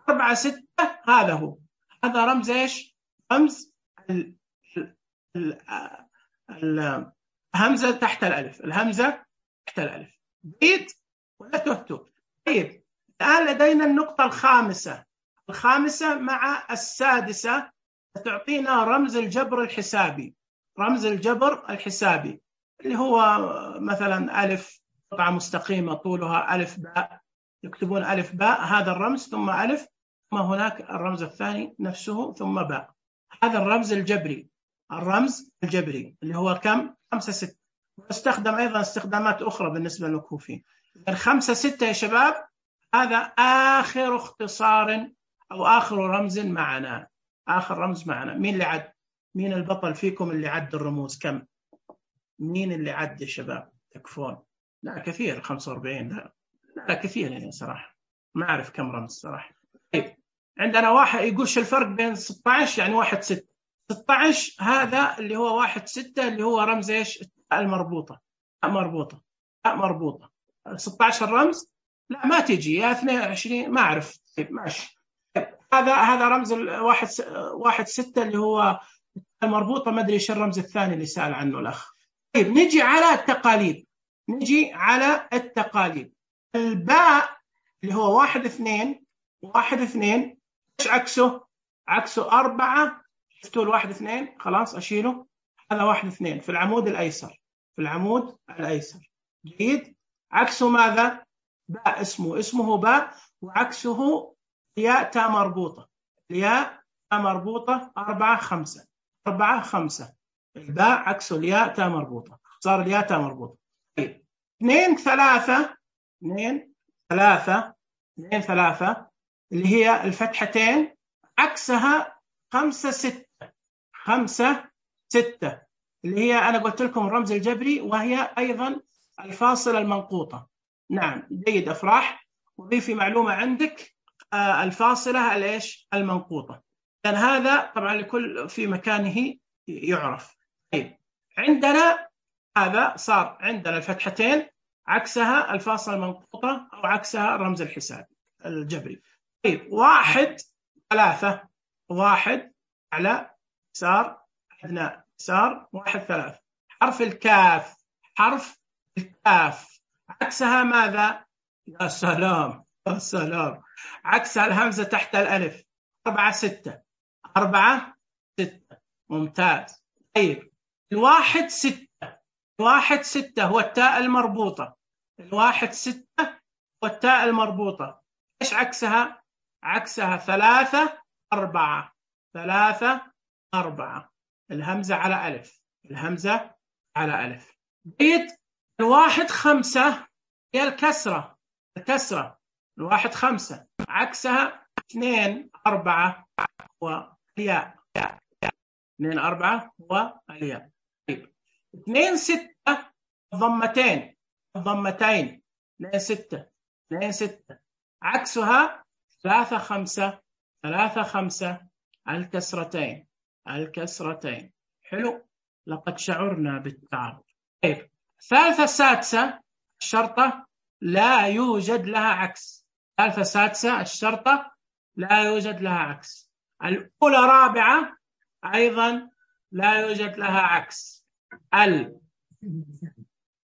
S1: أربعة ستة هذا هو، هذا رمز إيش؟ رمز ال... ال... ال... الهمزة تحت الألف، الهمزة تحت الألف. جيد ولا تهتو؟ طيب الآن لدينا النقطة الخامسة، الخامسة مع السادسة تعطينا رمز الجبر الحسابي، رمز الجبر الحسابي اللي هو مثلا ألف قطعة مستقيمة طولها ألف باء، يكتبون ألف باء، هذا الرمز ثم ألف، ثم هناك الرمز الثاني نفسه ثم باء، هذا الرمز الجبري، الرمز الجبري اللي هو كم؟ خمسة ستة. واستخدم أيضا استخدامات أخرى بالنسبة للكوفيين. الخمسة ستة يا شباب هذا آخر اختصار أو آخر رمز معنا، آخر رمز معنا. مين اللي عد؟ مين البطل فيكم اللي عد الرموز؟ كم؟ مين اللي عد يا شباب؟ تكفون؟ لا كثير، خمسة وأربعين. لا لا كثير يعني صراحة، ما أعرف كم رمز صراحة. طيب عندنا واحد يقول شو الفرق بين ستة عشر يعني واحد ستة. ستة عشر هذا اللي هو واحد ستة اللي هو رمز إيش؟ التاء المربوطة، تاء مربوطة، تاء مربوطة. ستة عشر رمز؟ لا ما تجي، يا اثنين وعشرين ما أعرف. طيب ماشي. هذا هذا رمز الواحد واحد ستة اللي هو المربوطة، ما أدري إيش الرمز الثاني اللي سأل عنه الأخ. طيب نجي على التقاليد، نجي على التقاليد. الباء اللي هو واحد اثنين، واحد اثنين إيش عكسه؟ عكسه أربعة. شفتوا الواحد اثنين؟ خلاص أشيله، هذا واحد اثنين في العمود الأيسر، في العمود الأيسر. جيد. عكسه ماذا؟ باء، اسمه اسمه باء، وعكسه ياء تاء مربوطة، الياء تاء مربوطة. أربعة خمسة، أربعة خمسة الباء عكسه الياء تاء مربوطة، صار الياء تاء مربوطة. طيب اثنين ثلاثة، اثنين ثلاثة، اثنين ثلاثة اللي هي الفتحتين، عكسها خمسة ستة، خمسة ستة اللي هي أنا قلت لكم الرمز الجبري، وهي أيضا الفاصلة المنقوطة. نعم جيد أفراح. وضيفي معلومة عندك، آه الفاصلة الإيش؟ المنقوطة، لأن هذا طبعا لكل في مكانه يعرف. طيب عندنا هذا صار عندنا الفتحتين عكسها الفاصلة المنقوطة أو عكسها الرمز الحسابي الجبري. طيب واحد ثلاثة، واحد على يسار أدنى يسار، واحد ثلاثة. حرف الكاف، حرف الكاف عكسها ماذا؟ يا سلام يا سلام، عكسها الهمزة تحت الألف. أربعة ستة، أربعة ستة، ممتاز. طيب الواحد ستة، الواحد ستة هو التاء المربوطة، الواحد ستة هو التاء المربوطة. إيش عكسها؟ عكسها ثلاثة أربعة، ثلاثة أربعة، الهمزة على ألف، الهمزة على ألف. جيد. الواحد خمسة هي الكسرة، الكسرة. الواحد خمسة عكسها اثنين أربعة والياء، اثنين أربعة والياء. طيب اثنين ستة ضمتين، ضمتين، اثنين ستة، اثنين ستة عكسها ثلاثة خمسة، ثلاثة خمسة، الكسرتين، الكسرتين. حلو، لقد شعرنا بالتعب. طيب ثالثة سادسة الشرطة لا يوجد لها عكس، ثالثة سادسة الشرطة لا يوجد لها عكس. الأولى رابعة أيضا لا يوجد لها عكس. ال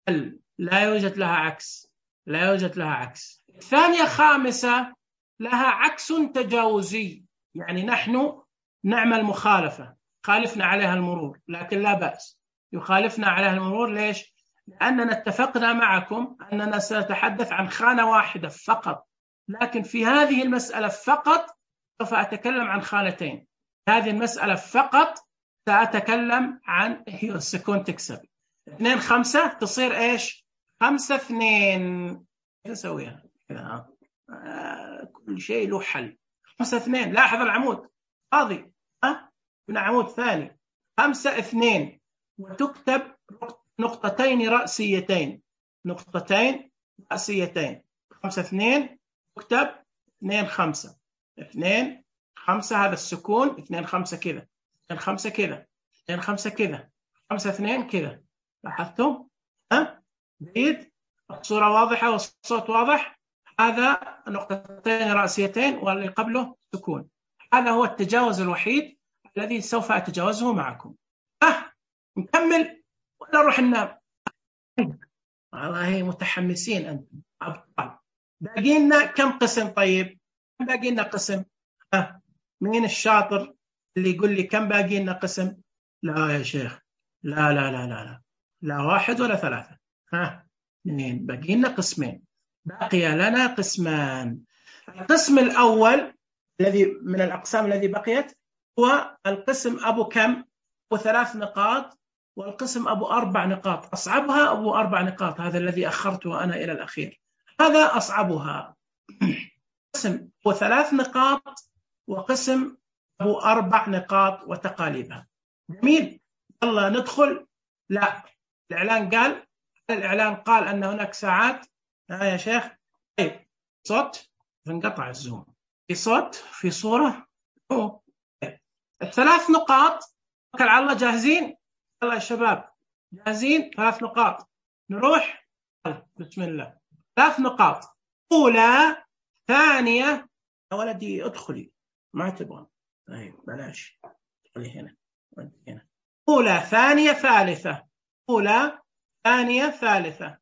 S1: ال لا يوجد لها عكس، لا يوجد لها عكس. الثانية خامسة لها عكس تجاوزي، يعني نحن نعمل مخالفة، خالفنا عليها المرور، لكن لا بأس يخالفنا عليها المرور. ليش؟ لأننا اتفقنا معكم أننا سنتحدث عن خانة واحدة فقط، لكن في هذه المسألة فقط سوف أتكلم عن خانتين. هذه المسألة فقط سأتكلم عن هي السكون تكسب اثنين خمسة تصير إيش؟ خمسة اثنين. كيف أسويها؟ كذا آه كل شيء له حل. خمسة اثنين، لاحظ العمود فاضي، ها هنا عمود ثاني. خمسة اثنين وتكتب نقطتين رأسيتين، نقطتين رأسيتين. خمسة اثنين تكتب اثنين خمسة، اثنين خمسة هذا السكون، اثنين خمسة كذا، اثنين خمسة كذا، اثنين خمسة كذا، خمسة اثنين كذا. لاحظتم؟ ها جيد؟ الصورة واضحة والصوت واضح. هذا نقطتين رأسيتين واللي قبله سكون. هذا هو التجاوز الوحيد الذي سوف أتجاوزه معكم. أه نكمل ولا نروح ننام؟ والله متحمسين أنتم أبطال. باقي لنا كم قسم؟ طيب باقي لنا قسم. أه مين الشاطر اللي يقول لي كم باقي لنا قسم؟ لا يا شيخ، لا لا لا لا لا, لا واحد ولا ثلاثة. ها اثنين، باقي لنا قسمين. بقي لنا قسمان. القسم الأول الذي من الأقسام الذي بقيت هو القسم أبو كم؟ أبو ثلاث نقاط، والقسم أبو أربع نقاط. أصعبها أبو أربع نقاط، هذا الذي أخرته أنا إلى الأخير، هذا أصعبها. قسم أبو ثلاث نقاط وقسم أبو أربع نقاط وتقاليبها. جميل، يلا ندخل. لا، الإعلان قال الإعلان قال أن هناك ساعات. ها يا شيخ، طيب صوت انقطع الزوم، في صوت في صورة. أوه. الثلاث نقاط توكل على الله. جاهزين؟ يلا يا شباب جاهزين؟ ثلاث نقاط نروح. بسم الله. ثلاث نقاط، أولى ثانية. يا ولدي ادخلي، ما تبغى. طيب بلاش، ادخلي هنا هنا. أولى ثانية ثالثة، أولى ثانية ثالثة،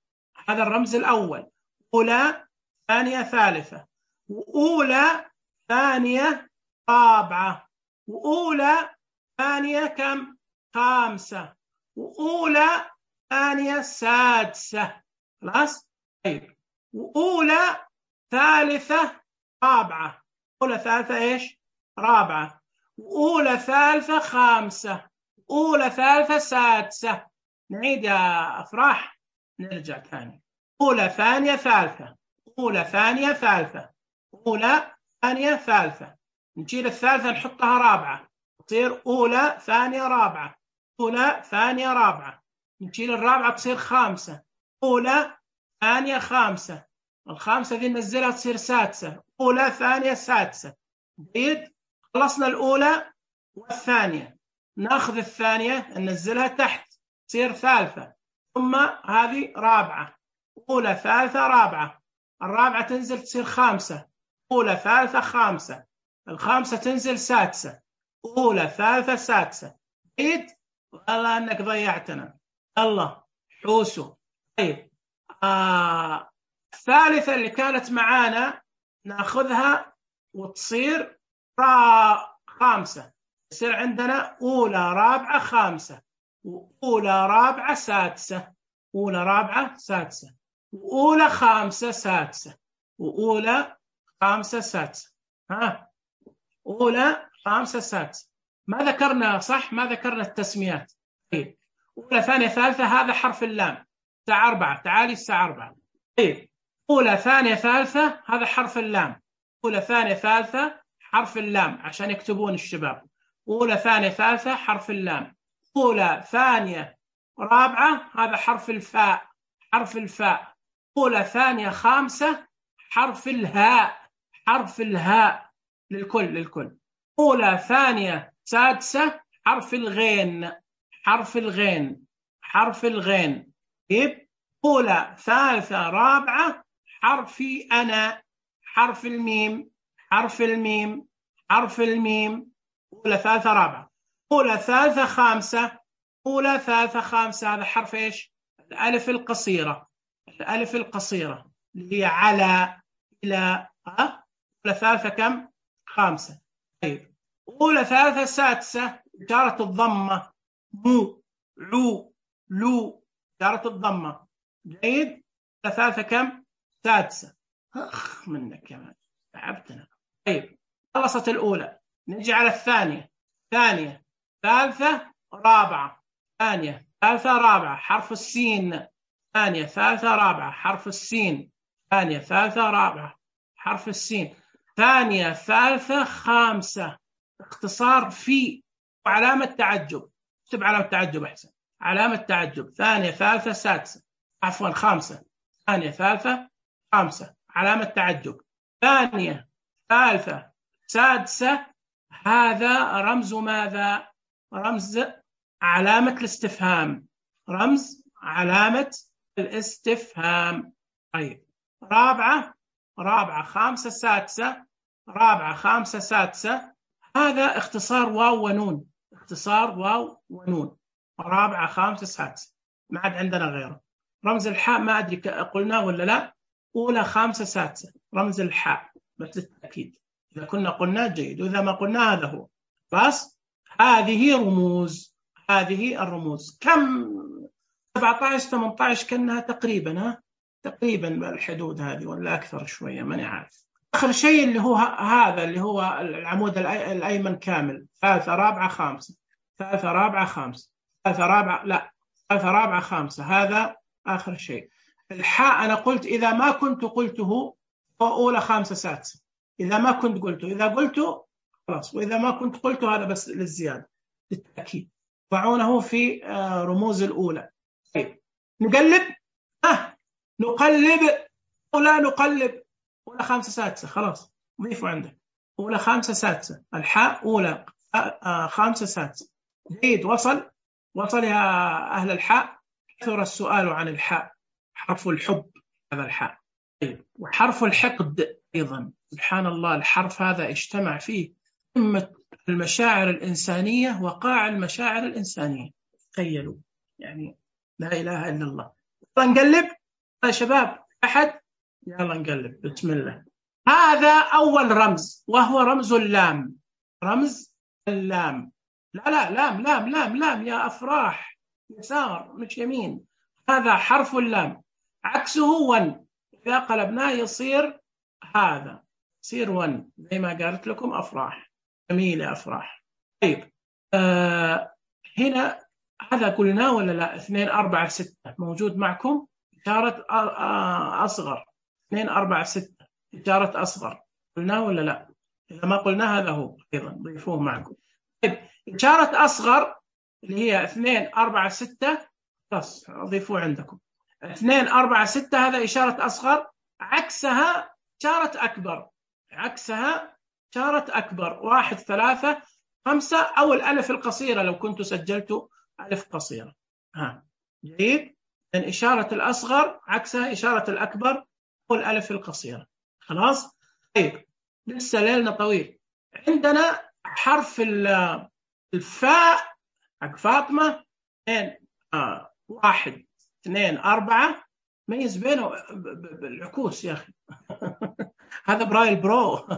S1: هذا الرمز الأول. أولى ثانية ثالثة، وأولى ثانية رابعة، وأولى ثانية كم؟ خامسة، وأولى ثانية سادسة. خلاص؟ طيب، وأولى ثالثة رابعة، أولى ثالثة إيش؟ رابعة، وأولى ثالثة خامسة، أولى ثالثة سادسة. نعيد يا أفراح، نرجع ثاني. أولى ثانية ثالثة، أولى ثانية ثالثة، أولى ثانية ثالثة. نشيل الثالثة نحطها رابعة، تصير أولى ثانية رابعة، أولى ثانية رابعة. نشيل الرابعة تصير خامسة، أولى ثانية خامسة. الخامسة ذي ننزلها تصير سادسة، أولى ثانية سادسة. جيد، خلصنا الأولى والثانية. ناخذ الثانية ننزلها تحت تصير ثالثة، ثم هذه رابعة، أولى ثالثة رابعة. الرابعة تنزل تصير خامسة، أولى ثالثة خامسة. الخامسة تنزل سادسة، أولى ثالثة سادسة. جيد، والله أنك ضيعتنا. الله حوسو. طيب آه. الثالثة اللي كانت معانا ناخذها وتصير را خامسة، يصير عندنا أولى رابعة خامسة، وأولى رابعة سادسة، أولى رابعة سادسة، وأولى خامسة سادسة، وأولى خامسة سادسة. ها، أولى خامسة سادسة. ما ذكرنا صح؟ ما ذكرنا التسميات. طيب، أولى ثانية ثالثة هذا حرف اللام، الساعة أربعة. تعالي الساعة أربعة. طيب، أولى ثانية ثالثة هذا حرف اللام، أولى ثانية ثالثة حرف اللام عشان يكتبون الشباب. أولى ثانية ثالثة حرف اللام. أولى ثانية رابعة هذا حرف الفاء، حرف الفاء. أولى ثانية خامسة حرف الهاء، حرف الهاء. للكل للكل. أولى ثانية سادسة حرف الغين، حرف الغين، حرف الغين. طيب، أولى ثالثة رابعة حرفي أنا، حرف الميم، حرف الميم، حرف الميم. أولى ثالثة رابعة. أولى ثالثة خامسة، أولى ثالثة خامسة هذا حرف إيش؟ الألف القصيرة، الألف القصيرة اللي هي على إلى. أه؟ أولى ثالثة كم؟ خامسة. طيب، أولى ثالثة سادسة إشارة الضمة، مو، عو، لو. إشارة الضمة. جيد. ثلاثة كم؟ سادسة. أخ منك كمان تعبتنا. طيب خلصت الأولى، نجي على الثانية. ثانية ثالثة رابعة. ثانية ثالثة رابعة حرف السين. ثانية ثالثة رابعة حرف السين. ثانية ثالثة رابعة حرف السين. ثانية ثالثة خامسة. اختصار في وعلامة تعجب. اكتب علامة تعجب أحسن. علامة تعجب. ثانية ثالثة سادسة، عفوا خامسة. ثانية ثالثة خامسة علامة تعجب. ثانية ثالثة سادسة، هذا رمز ماذا؟ رمز علامة الاستفهام. رمز علامة الاستفهام. طيب رابعة رابعة خامسة سادسة. رابعة خامسة سادسة، هذا اختصار واو ونون. اختصار واو ونون. رابعة خامسة سادسة، ما عاد عندنا غيره. رمز الحاء ما أدري قلنا ولا لا. أولى خامسة سادسة رمز الحاء بس للتأكيد، إذا كنا قلنا جيد، وإذا ما قلنا هذا هو. بس هذه رموز. هذه الرموز كم؟ سبعة عشر ثمانية عشر كأنها تقريبا، ها تقريبا بالحدود هذه ولا أكثر شوية، ماني عارف. آخر شيء اللي هو هذا اللي هو العمود الأيمن كامل. ثالثة رابعة خامسة. ثالثة رابعة خامسة. ثالثة رابعة لا ثالثة رابعة خامسة، هذا آخر شيء. الحاء أنا قلت إذا ما كنت قلته أولى خامسة سادسة، إذا ما كنت قلته. إذا قلته خلاص، وإذا ما كنت قلته هذا بس للزيادة للتأكيد. ضعونه في رموز الأولى. طيب نقلب. ها نقلب ولا نقلب؟ أولى خامسة سادسة خلاص ضيفوا عندك. أولى خامسة سادسة، الحاء أولى خامسة سادسة. جيد. وصل وصل يا أهل الحاء. كثر السؤال عن الحاء. حرف الحب هذا الحاء. طيب وحرف الحقد أيضا. سبحان الله، الحرف هذا اجتمع فيه قمة المشاعر الإنسانية وقاع المشاعر الإنسانية. تخيلوا يعني، لا إله إلا الله. يلا نقلب يا شباب. أحد يلا نقلب بسم الله. هذا أول رمز وهو رمز اللام. رمز اللام. لا لا لام لام لام لام يا أفراح، يسار مش يمين. هذا حرف اللام، عكسه ون. إذا قلبناه يصير هذا، يصير ون زي ما قالت لكم أفراح. جميل يا أفراح. طيب آه هنا هذا قلنا ولا لا؟ اثنين أربعة ستة موجود معكم. إشارة أصغر. اثنين أربعة ستة إشارة أصغر قلنا ولا لا؟ إذا ما قلنا هذا هو أيضا ضيفوه معكم. طيب إشارة أصغر اللي هي اثنين أربعة ستة بس ضيفوه عندكم. اثنين أربعة ستة هذا إشارة أصغر، عكسها إشارة أكبر. عكسها إشارة أكبر. واحد ثلاثة خمسة، أو الألف القصيرة لو كنت سجلت ألف قصيرة. ها جيد. من إشارة الأصغر عكسها إشارة الأكبر أو الألف القصيرة. خلاص. طيب لسه ليلنا طويل. عندنا حرف الفاء حق فاطمة. اثنين آه. واحد اثنين أربعة، ميز بينه بالعكوس يا أخي. هذا برايل برو.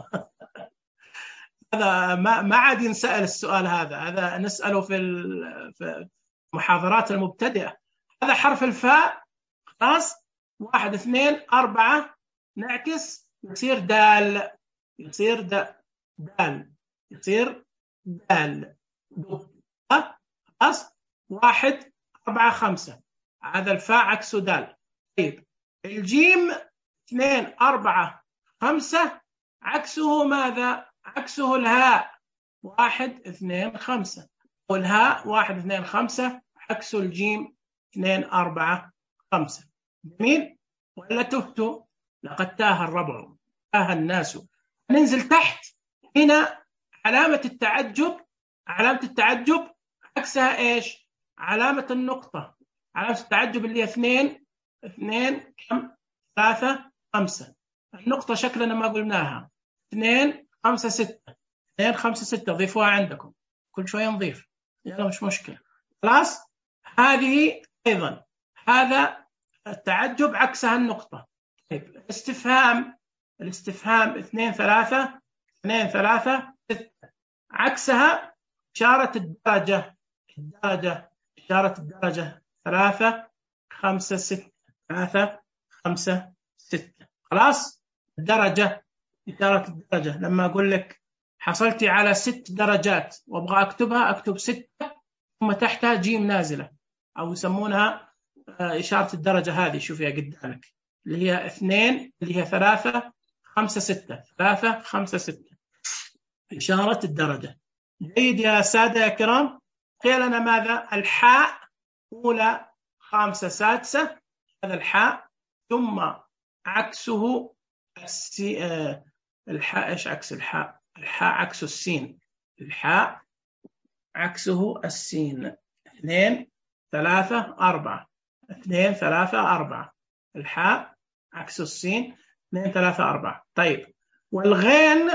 S1: هذا ما ما عاد ينسأل السؤال هذا. هذا نسأله في في المحاضرات المبتدئة. هذا حرف الفاء. خلاص. واحد اثنين أربعة نعكس يصير دال. يصير دال. يصير دال. خلاص. واحد أربعة خمسة، هذا الفاء عكسه دال. طيب الجيم اثنين أربعة خمسة عكسه ماذا؟ عكسه الهاء. واحد اثنين خمسة، والهاء واحد اثنين خمسة عكسه الجيم اثنين أربعة خمسة. جميل ولا تهتوا؟ لقد تاه الربع، تاه الناس. ننزل تحت. هنا علامة التعجب. علامة التعجب عكسها ايش؟ علامة النقطة. علامة التعجب اللي هي اثنين اثنين كم؟ ثلاثة خمسة. النقطة شكلنا ما قلناها. اثنين خمسة ستة. اثنين خمسة ستة ضيفوها عندكم. كل شوية نضيف، يلا مش مشكلة. خلاص. هذه أيضا هذا التعجب عكسها النقطة. طيب الاستفهام. الاستفهام اثنين ثلاثة اثنين ثلاثة ستة عكسها إشارة الدرجة. الدرجة إشارة الدرجة ثلاثة خمسة ستة، ثلاثة خمسة ستة. خلاص الدرجة، إشارة الدرجة لما أقول لك حصلتي على ست درجات وأبغى أكتبها أكتب ستة ثم تحتها جيم نازلة، أو يسمونها إشارة الدرجة هذه، شوفيها قدامك اللي هي اثنين، اللي هي ثلاثة خمسة ستة، ثلاثة خمسة ستة، إشارة الدرجة. جيد يا سادة يا كرام. قيل لنا ماذا؟ الحاء أولى خامسة سادسة، هذا الحاء، ثم عكسه السي... آه... الحاء. إيش عكس الحاء؟ الحاء عكس السين، الحاء عكسه السين. اثنين ثلاثة أربعة، اثنين ثلاثة أربعة، الحاء عكس السين، اثنين ثلاثة أربعة. طيب والغين،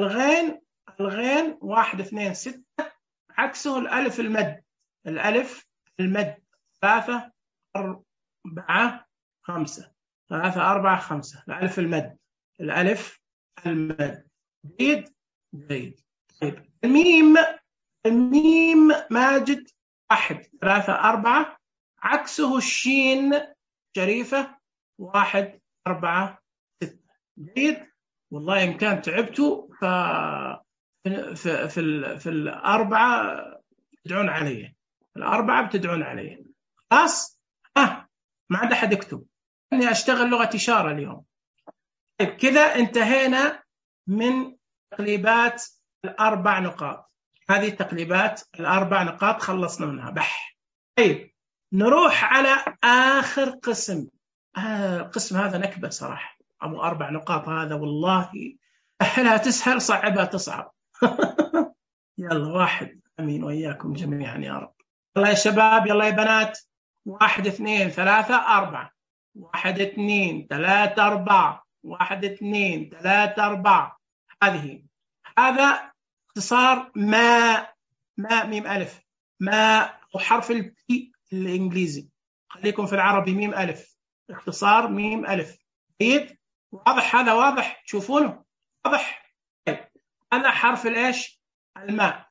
S1: الغين الغين واحد اثنين ستة، عكسه الألف المد، الألف المد، ثلاثة أربعة خمسة، ثلاثة أربعة خمسة، الألف المد، الألف المد. جيد جيد. طيب الميم، الميم ماجد واحد ثلاثة أربعة، عكسه الشين شريفة واحد أربعة ستة. جيد. والله إن كان تعبتوا ف في في في, في الأربعة بتدعون علي، الأربعة بتدعون علي. خلاص ها ما عاد أحد يكتب إني أشتغل لغة إشارة اليوم. طيب كذا انتهينا من تقليبات الأربع نقاط، هذه تقليبات الأربع نقاط خلصنا منها بح. طيب نروح على آخر قسم. آه القسم هذا نكبة صراحة، أبو أربع نقاط هذا والله سهلها تسهل، صعبها تصعب. يلا واحد، أمين وإياكم جميعا يا رب. يلا يا شباب، يلا يا بنات. واحد اثنين ثلاثة أربعة، واحد اثنين ثلاثة أربعة، واحد اثنين ثلاثة أربعة. هذه، هذا اختصار ما، ما ميم ألف، ما وحرف البي الإنجليزي، خليكم في العربي ميم ألف، اختصار ميم ألف. جيد. واضح هذا؟ واضح تشوفونه؟ واضح. طيب هذا حرف الإيش؟ الماء.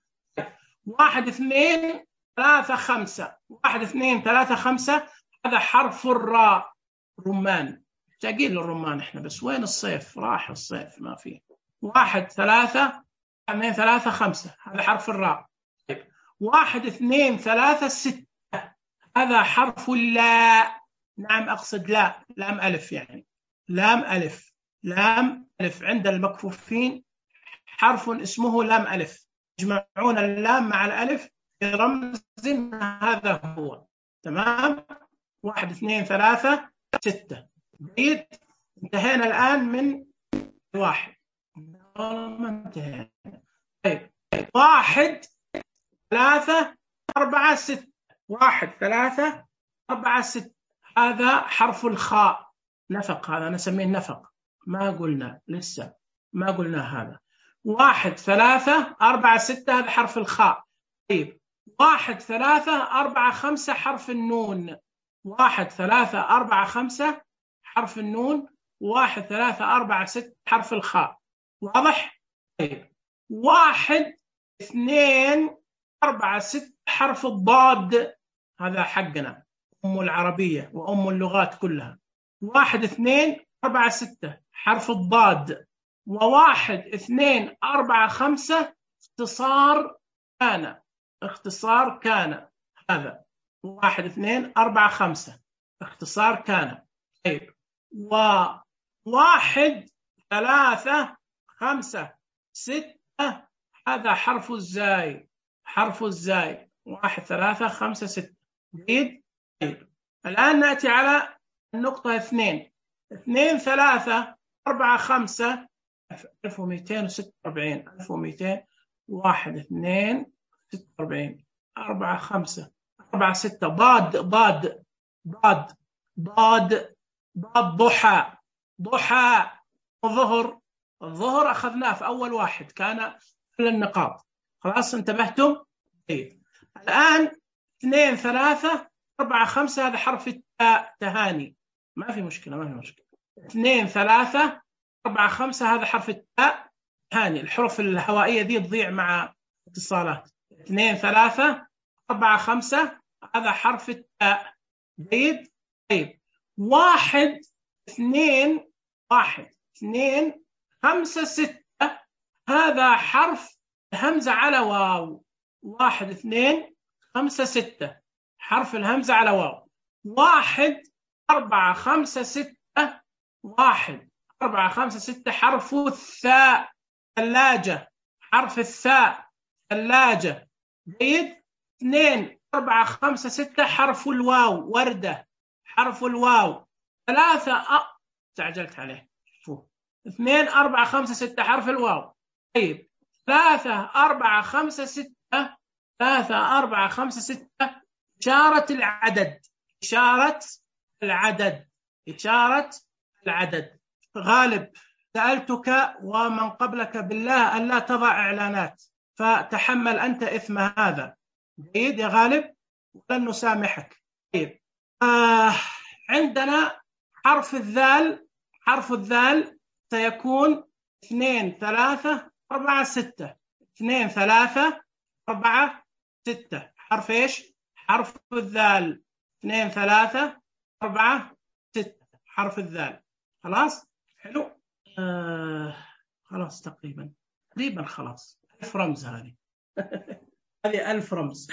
S1: واحد اثنين ثلاثة خمسة، واحد اثنين ثلاثة خمسة، هذا حرف الراء، رمان. مشتاقين للرمان احنا، بس وين الصيف؟ راح الصيف ما فيه. واحد ثلاثة اثنين ثلاثة خمسة، هذا حرف الراء. طيب واحد اثنين ثلاثة ستة، هذا حرف اللاء. نعم أقصد لا، لام ألف يعني، لام ألف، لام ألف. عند المكفوفين حرف اسمه لام ألف، يجمعون اللام مع الألف في رمز، هذا هو. تمام. واحد اثنين ثلاثة ستة. جيد. انتهينا الآن من واحد، ما انتهينا. طيب واحد ثلاثة أربعة ستة، واحد ثلاثة أربعة ستة، هذا حرف الخاء، نفق، هذا نسميه نفق، ما قلنا لسه، ما قلنا هذا. واحد ثلاثة أربعة ستة، هذا حرف الخاء. طيب واحد ثلاثة أربعة خمسة، حرف النون، واحد ثلاثة أربعة خمسة حرف النون، واحد ثلاثة أربعة ستة حرف الخاء. واضح؟ طيب واحد اثنين أربعة ستة حرف الضاد، هذا حقنا أم العربية وأم اللغات كلها. واحد اثنين أربعة ستة حرف الضاد. وواحد اثنين أربعة خمسة اختصار كان، اختصار كان، هذا واحد اثنين أربعة خمسة اختصار كان. طيب وواحد ثلاثة خمسة ستة، هذا حرف الزاي، حرف الزاي، واحد ثلاثة خمسة ستة. جيد. طيب الآن نأتي على النقطة اثنين، اثنين ثلاثة أربعة خمسة، ألف ومئتين وستة وأربعين، ألف ومئتين، واحد اثنين ستة وأربعين، أربعة خمسة، أربعة ستة، ضاد ضاد ضاد ضاد ضاد، ضحى ضحى، الظهر، الظهر أخذناه في أول واحد، كان كل النقاط. خلاص انتبهتم؟ طيب الآن اثنين ثلاثة أربعة خمسة، هذا حرف التاء، تهاني، ما في مشكلة، ما في مشكلة. اثنين ثلاثة أربعة خمسة، هذا حرف التاء، تهاني، الحروف الهوائية دي تضيع مع اتصالات. اثنين ثلاثة أربعة خمسة، هذا حرف التاء. جيد. طيب واحد اثنين واحد اثنين خمسة ستة، هذا حرف همزة على واو. واحد اثنين خمسة ستة حرف الهمزة على واو. واحد أربعة خمسة ستة، واحد أربعة خمسة ستة حرف الثاء، ثلاجة، حرف الثاء، ثلاجة. جيد. اثنين أربعة خمسة ستة حرف الواو، وردة، حرف الواو. ثلاثة أ... تعجلت عليه. شوفوا. اثنين أربعة خمسة ستة حرف الواو. طيب ثلاثة أربعة خمسة ستة، ثلاثة أربعة خمسة ستة إشارة العدد، إشارة العدد، إشارة العدد. غالب سألتك ومن قبلك بالله ألا تضع إعلانات، فتحمل أنت إثم هذا. جيد يا غالب، ولن نسامحك. طيب آه عندنا حرف الذال، حرف الذال سيكون اثنين ثلاثة أربعة ستة، اثنين ثلاثة أربعة ستة. حرف إيش؟ حرف الذال. اثنين ثلاثة أربعة ستة حرف الذال. خلاص؟ حلو؟ آه خلاص تقريبا تقريبا خلاص. ألف رمز هذه. هذه ألف رمز.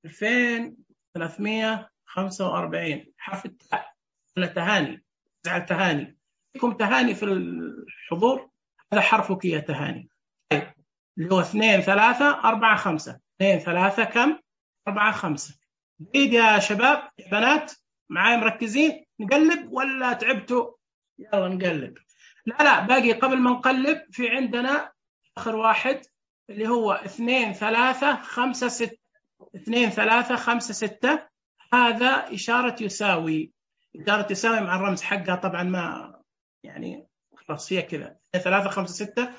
S1: ألفين وثلاثمائة وخمسة وأربعين حرف التاء. ولا تهاني؟ زعل تهاني. فيكم تهاني في الحضور؟ هذا حرفك يا تهاني. طيب اللي هو اثنين ثلاثة أربعة خمسة. اثنين ثلاثة كم؟ أربعة خمسة. جيد يا شباب يا بنات، معاي مركزين؟ نقلب ولا تعبتوا؟ يلا نقلب. لا لا باقي. قبل ما نقلب في عندنا آخر واحد اللي هو اثنين ثلاثة خمسة ستة. اثنين ثلاثة خمسة ستة، هذا إشارة يساوي. إشارة يساوي مع الرمز حقها طبعا ما يعني خلاص هي كذا. اثنين ثلاثة خمسة ستة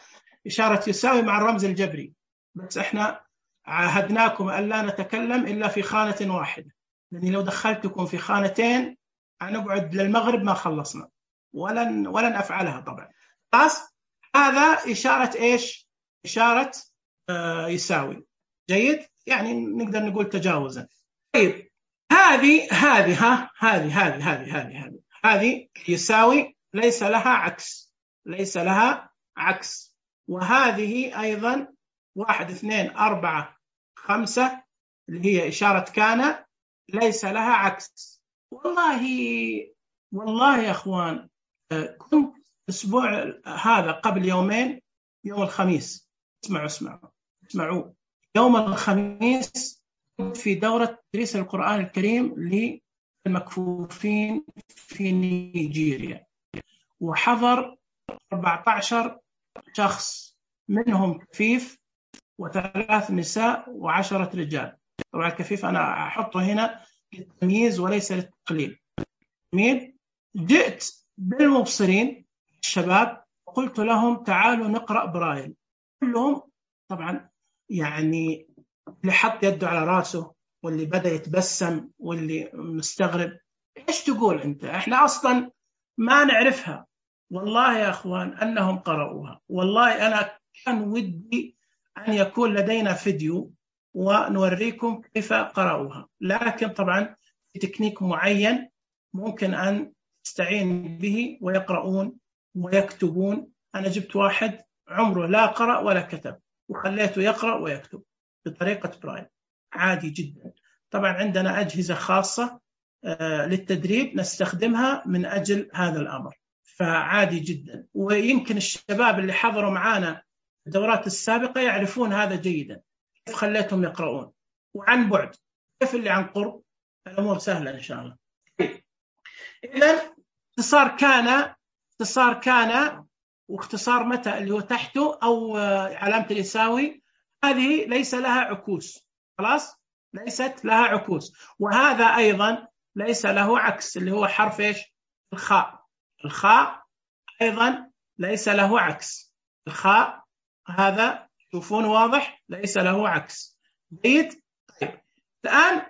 S1: إشارة يساوي مع الرمز الجبري، بس إحنا عاهدناكم ألا نتكلم إلا في خانة واحدة، لأن لو دخلتكم في خانتين هنقعد للمغرب ما خلصنا، ولن ولن أفعلها طبعا. خلاص هذا إشارة إيش؟ إشارة آه يساوي. جيد، يعني نقدر نقول تجاوزا. طيب هذه هذه ها هذه هذه هذه هذه هذه هذه يساوي ليس لها عكس، ليس لها عكس. وهذه أيضا واحد اثنين أربعة خمسة اللي هي إشارة كان ليس لها عكس. والله والله يا أخوان كنت أسبوع هذا قبل يومين يوم الخميس، اسمعوا اسمعوا اسمعوا يوم الخميس في دورة تدريس القرآن الكريم للمكفوفين في نيجيريا، وحضر أربعة عشر شخص، منهم كفيف وثلاث نساء وعشرة رجال. طبعا الكفيف أنا أحطه هنا للتمييز وليس للتقليل. مين؟ جئت بالمبصرين الشباب وقلت لهم تعالوا نقرأ برايل. كلهم طبعا يعني اللي حط يده على راسه، واللي بدأ يتبسم، واللي مستغرب. إيش تقول أنت؟ إحنا أصلا ما نعرفها. والله يا أخوان أنهم قرأوها. والله أنا كان ودي أن يكون لدينا فيديو ونوريكم كيف قرأوها، لكن طبعا في تكنيك معين ممكن أن تستعين به ويقرؤون ويكتبون. أنا جبت واحد عمره لا قرأ ولا كتب وخليته يقرأ ويكتب بطريقة برايل عادي جدا. طبعا عندنا أجهزة خاصة للتدريب نستخدمها من أجل هذا الأمر، فعادي جدا. ويمكن الشباب اللي حضروا معنا الدورات السابقة يعرفون هذا جيدا، كيف خليتهم يقرؤون وعن بعد، كيف اللي عن قرب. الأمور سهلة إن شاء الله. إذن اختصار كان، اختصار كان واختصار متى اللي هو تحته أو علامة اليساوي، هذه ليس لها عكوس. خلاص ليست لها عكوس. وهذا أيضا ليس له عكس اللي هو حرف إيش؟ الخاء. الخاء أيضا ليس له عكس. الخاء هذا شوفون واضح ليس له عكس. جيد. طيب الآن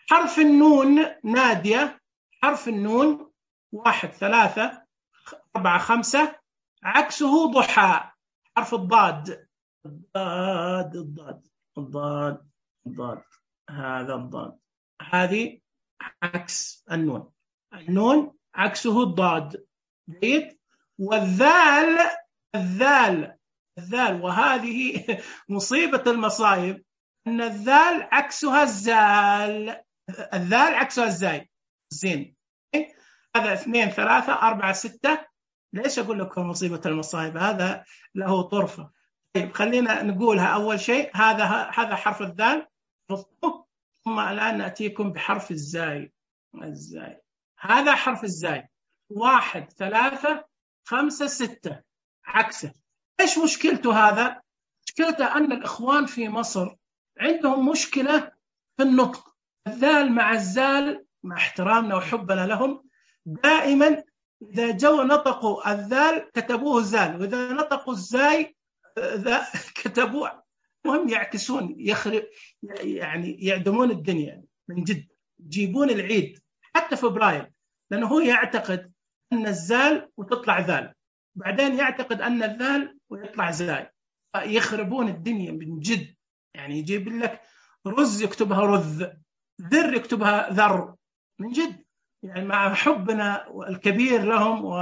S1: حرف النون نادية. حرف النون واحد ثلاثة أربعة خمسة عكسه ضحى. حرف الضاد. الضاد الضاد الضاد الضاد هذا الضاد. هذه عكس النون. النون عكسه الضاد. جيد. والذال الذال الذال وهذه مصيبة المصايب، أن الذال عكسها الزال. الذال عكسها الزاي زين. هذا اثنين ثلاثة أربعة ستة. ليش أقول لكم مصيبة المصايب؟ هذا له طرفة. طيب خلينا نقولها. أول شيء هذا هذا حرف الذال، ثم الآن نأتيكم بحرف الزاي. الزاي هذا حرف الزاي. واحد ثلاثة خمسة ستة عكسه. إيش مشكلته هذا؟ مشكلته أن الإخوان في مصر عندهم مشكلة في النطق. الذال مع الزال، مع احترامنا وحبنا لهم، دائما إذا جو نطقوا الذال كتبوه زال، وإذا نطقوا الزاي كتبوه. مهم يعكسون، يخرب يعني يعدمون الدنيا من جد. يجيبون العيد حتى في برايل، لأنه هو يعتقد أن الزال وتطلع ذال، بعدين يعتقد أن الذال ويطلع زاي، يخربون الدنيا من جد. يعني يجيب لك رز يكتبها رذ، ذر يكتبها ذر، من جد. يعني مع حبنا الكبير لهم و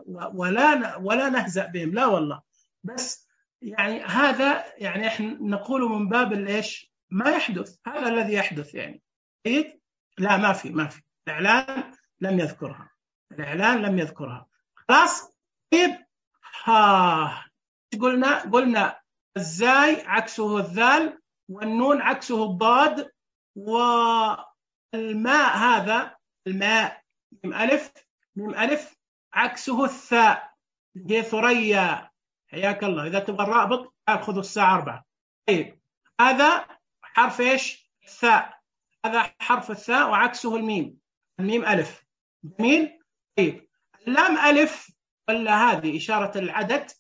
S1: و ولا ولا نهزأ بهم، لا والله، بس يعني هذا يعني احنا نقول من باب الايش ما يحدث، هذا الذي يحدث يعني. لا ما في ما في الإعلان لم يذكرها، الإعلان لم يذكرها. خلاص. طيب ها قلنا قلنا الزاي عكسه الذال، والنون عكسه الضاد، والماء هذا الماء ميم ألف ميم ألف عكسه الثاء. هي ثريا، حياك الله. إذا تبغى الرابط خذوا الساعة أربعة. طيب هذا حرف إيش؟ الثاء. هذا حرف الثاء وعكسه الميم، الميم ألف. جميل. طيب اللام ألف ولا هذه إشارة العدد،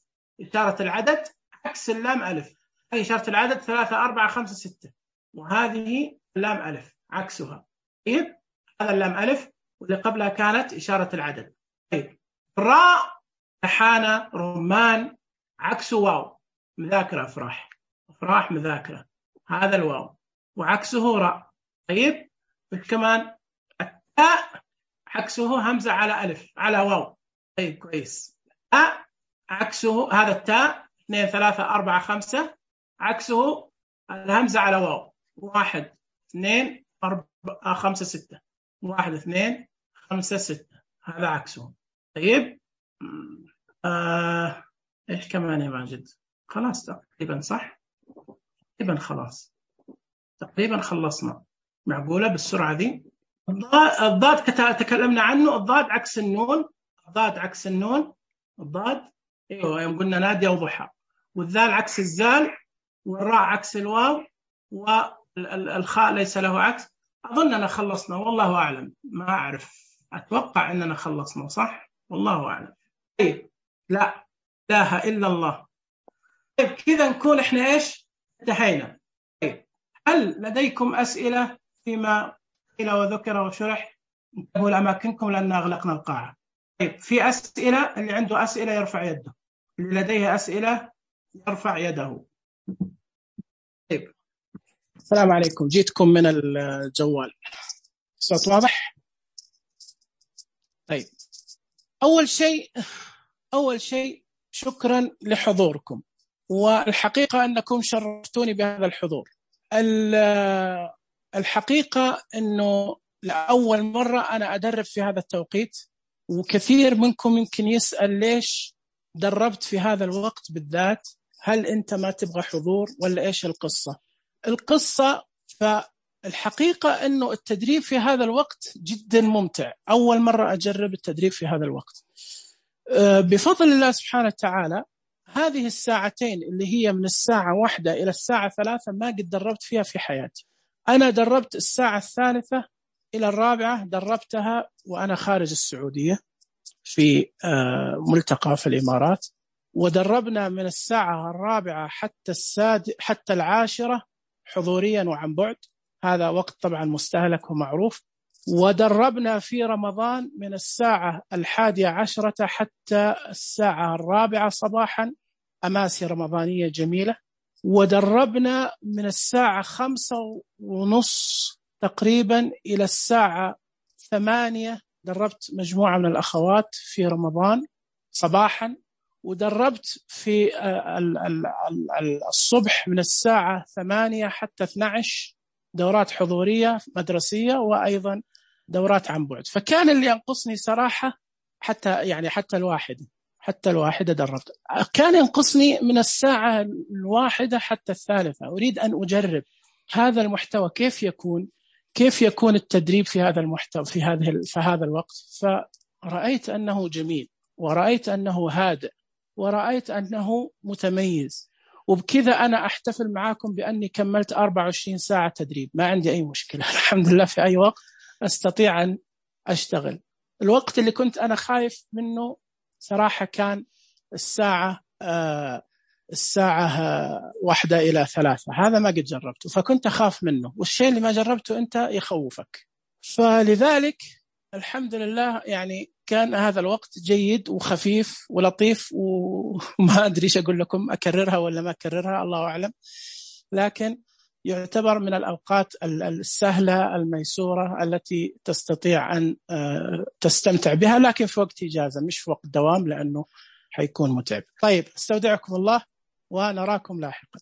S1: إشارة العدد عكس اللام ألف. هذه إشارة العدد ثلاثة أربعة خمسة ستة، وهذه اللام ألف عكسها. طيب هذا اللام ألف واللي قبلها كانت إشارة العدد. طيب راء رحانة رمان عكسه واو. مذاكرة أفراح، أفراح مذاكرة، هذا الواو وعكسه راء. طيب كمان التاء عكسه همزة على ألف على واو. طيب كويس. تاء عكسه هذا التاء اثنين ثلاثة أربعة خمسة عكسه الهمزة على واو. واحد اثنين أربعة خمسة ستة، واحد اثنين خمسة ستة، هذا عكسه. طيب آه إيش كمان يا ماجد؟ خلاص تقريبا صح؟ تقريبا خلاص، تقريبا خلصنا. معقولة بالسرعة دي؟ الضاد تكلمنا عنه. الضاد عكس النون، الضاد عكس النون، الضاد ايوه يوم قلنا نادية وضحى. والذال عكس الزال، والراء عكس الواو، والخاء ليس له عكس. أظننا خلصنا والله أعلم، ما أعرف، أتوقع أننا خلصنا صح؟ والله أعلم. طيب لا إله إلا الله. طيب كذا نكون إحنا إيش انتهينا. طيب هل لديكم أسئلة فيما قيل وذكر وشرح؟ انتبهوا لأماكنكم لأن أغلقنا القاعة. طيب في أسئلة؟ اللي عنده أسئلة يرفع يده، اللي لديه أسئلة يرفع يده. طيب السلام عليكم، جيتكم من الجوال، صوت واضح؟ طيب أول شيء أول شيء شكرا لحضوركم، والحقيقة أنكم شرفتوني بهذا الحضور. الحقيقة أنه لأول مرة أنا أدرب في هذا التوقيت، وكثير منكم يمكن يسأل ليش دربت في هذا الوقت بالذات، هل أنت ما تبغى حضور ولا إيش القصة؟ القصة فالحقيقة أنه التدريب في هذا الوقت جدا ممتع، أول مرة أجرب التدريب في هذا الوقت بفضل الله سبحانه وتعالى. هذه الساعتين اللي هي من الساعة واحدة إلى الساعة ثلاثة ما قد دربت فيها في حياتي. أنا دربت الساعة الثالثة إلى الرابعة، دربتها وأنا خارج السعودية في ملتقى في الإمارات، ودربنا من الساعة الرابعة حتى الساد حتى العاشرة حضوريا وعن بعد، هذا وقت طبعا مستهلك ومعروف. ودربنا في رمضان من الساعة الحادية عشرة حتى الساعة الرابعة صباحا، أماسي رمضانية جميلة. ودربنا من الساعة خمسة ونص تقريبا إلى الساعة ثمانية دربت مجموعة من الأخوات في رمضان صباحا، ودربت في الصبح من الساعة ثمانية حتى اثنتي عشرة دورات حضورية مدرسية وأيضا دورات عن بعد. فكان اللي ينقصني صراحة حتى يعني حتى الواحدة حتى الواحدة دربت، كان ينقصني من الساعة الواحدة حتى الثالثة. أريد أن أجرب هذا المحتوى كيف يكون كيف يكون التدريب في هذا المحتوى في هذه في هذا الوقت. فرأيت أنه جميل، ورأيت أنه هادئ، ورأيت أنه متميز، وبكذا أنا أحتفل معاكم بأني كملت أربعة وعشرين ساعة تدريب، ما عندي أي مشكلة الحمد لله، في أي وقت أستطيع أن أشتغل. الوقت اللي كنت أنا خايف منه صراحة كان الساعة آه الساعة آه واحدة إلى ثلاثة، هذا ما قد جربته فكنت أخاف منه، والشيء اللي ما جربته أنت يخوفك. فلذلك الحمد لله يعني كان هذا الوقت جيد وخفيف ولطيف، وما أدري إيش أقول لكم، أكررها ولا ما أكررها الله أعلم، لكن يعتبر من الأوقات السهلة الميسورة التي تستطيع أن تستمتع بها، لكن في وقت إجازة مش في وقت دوام لأنه حيكون متعب. طيب استودعكم الله ونراكم لاحقا.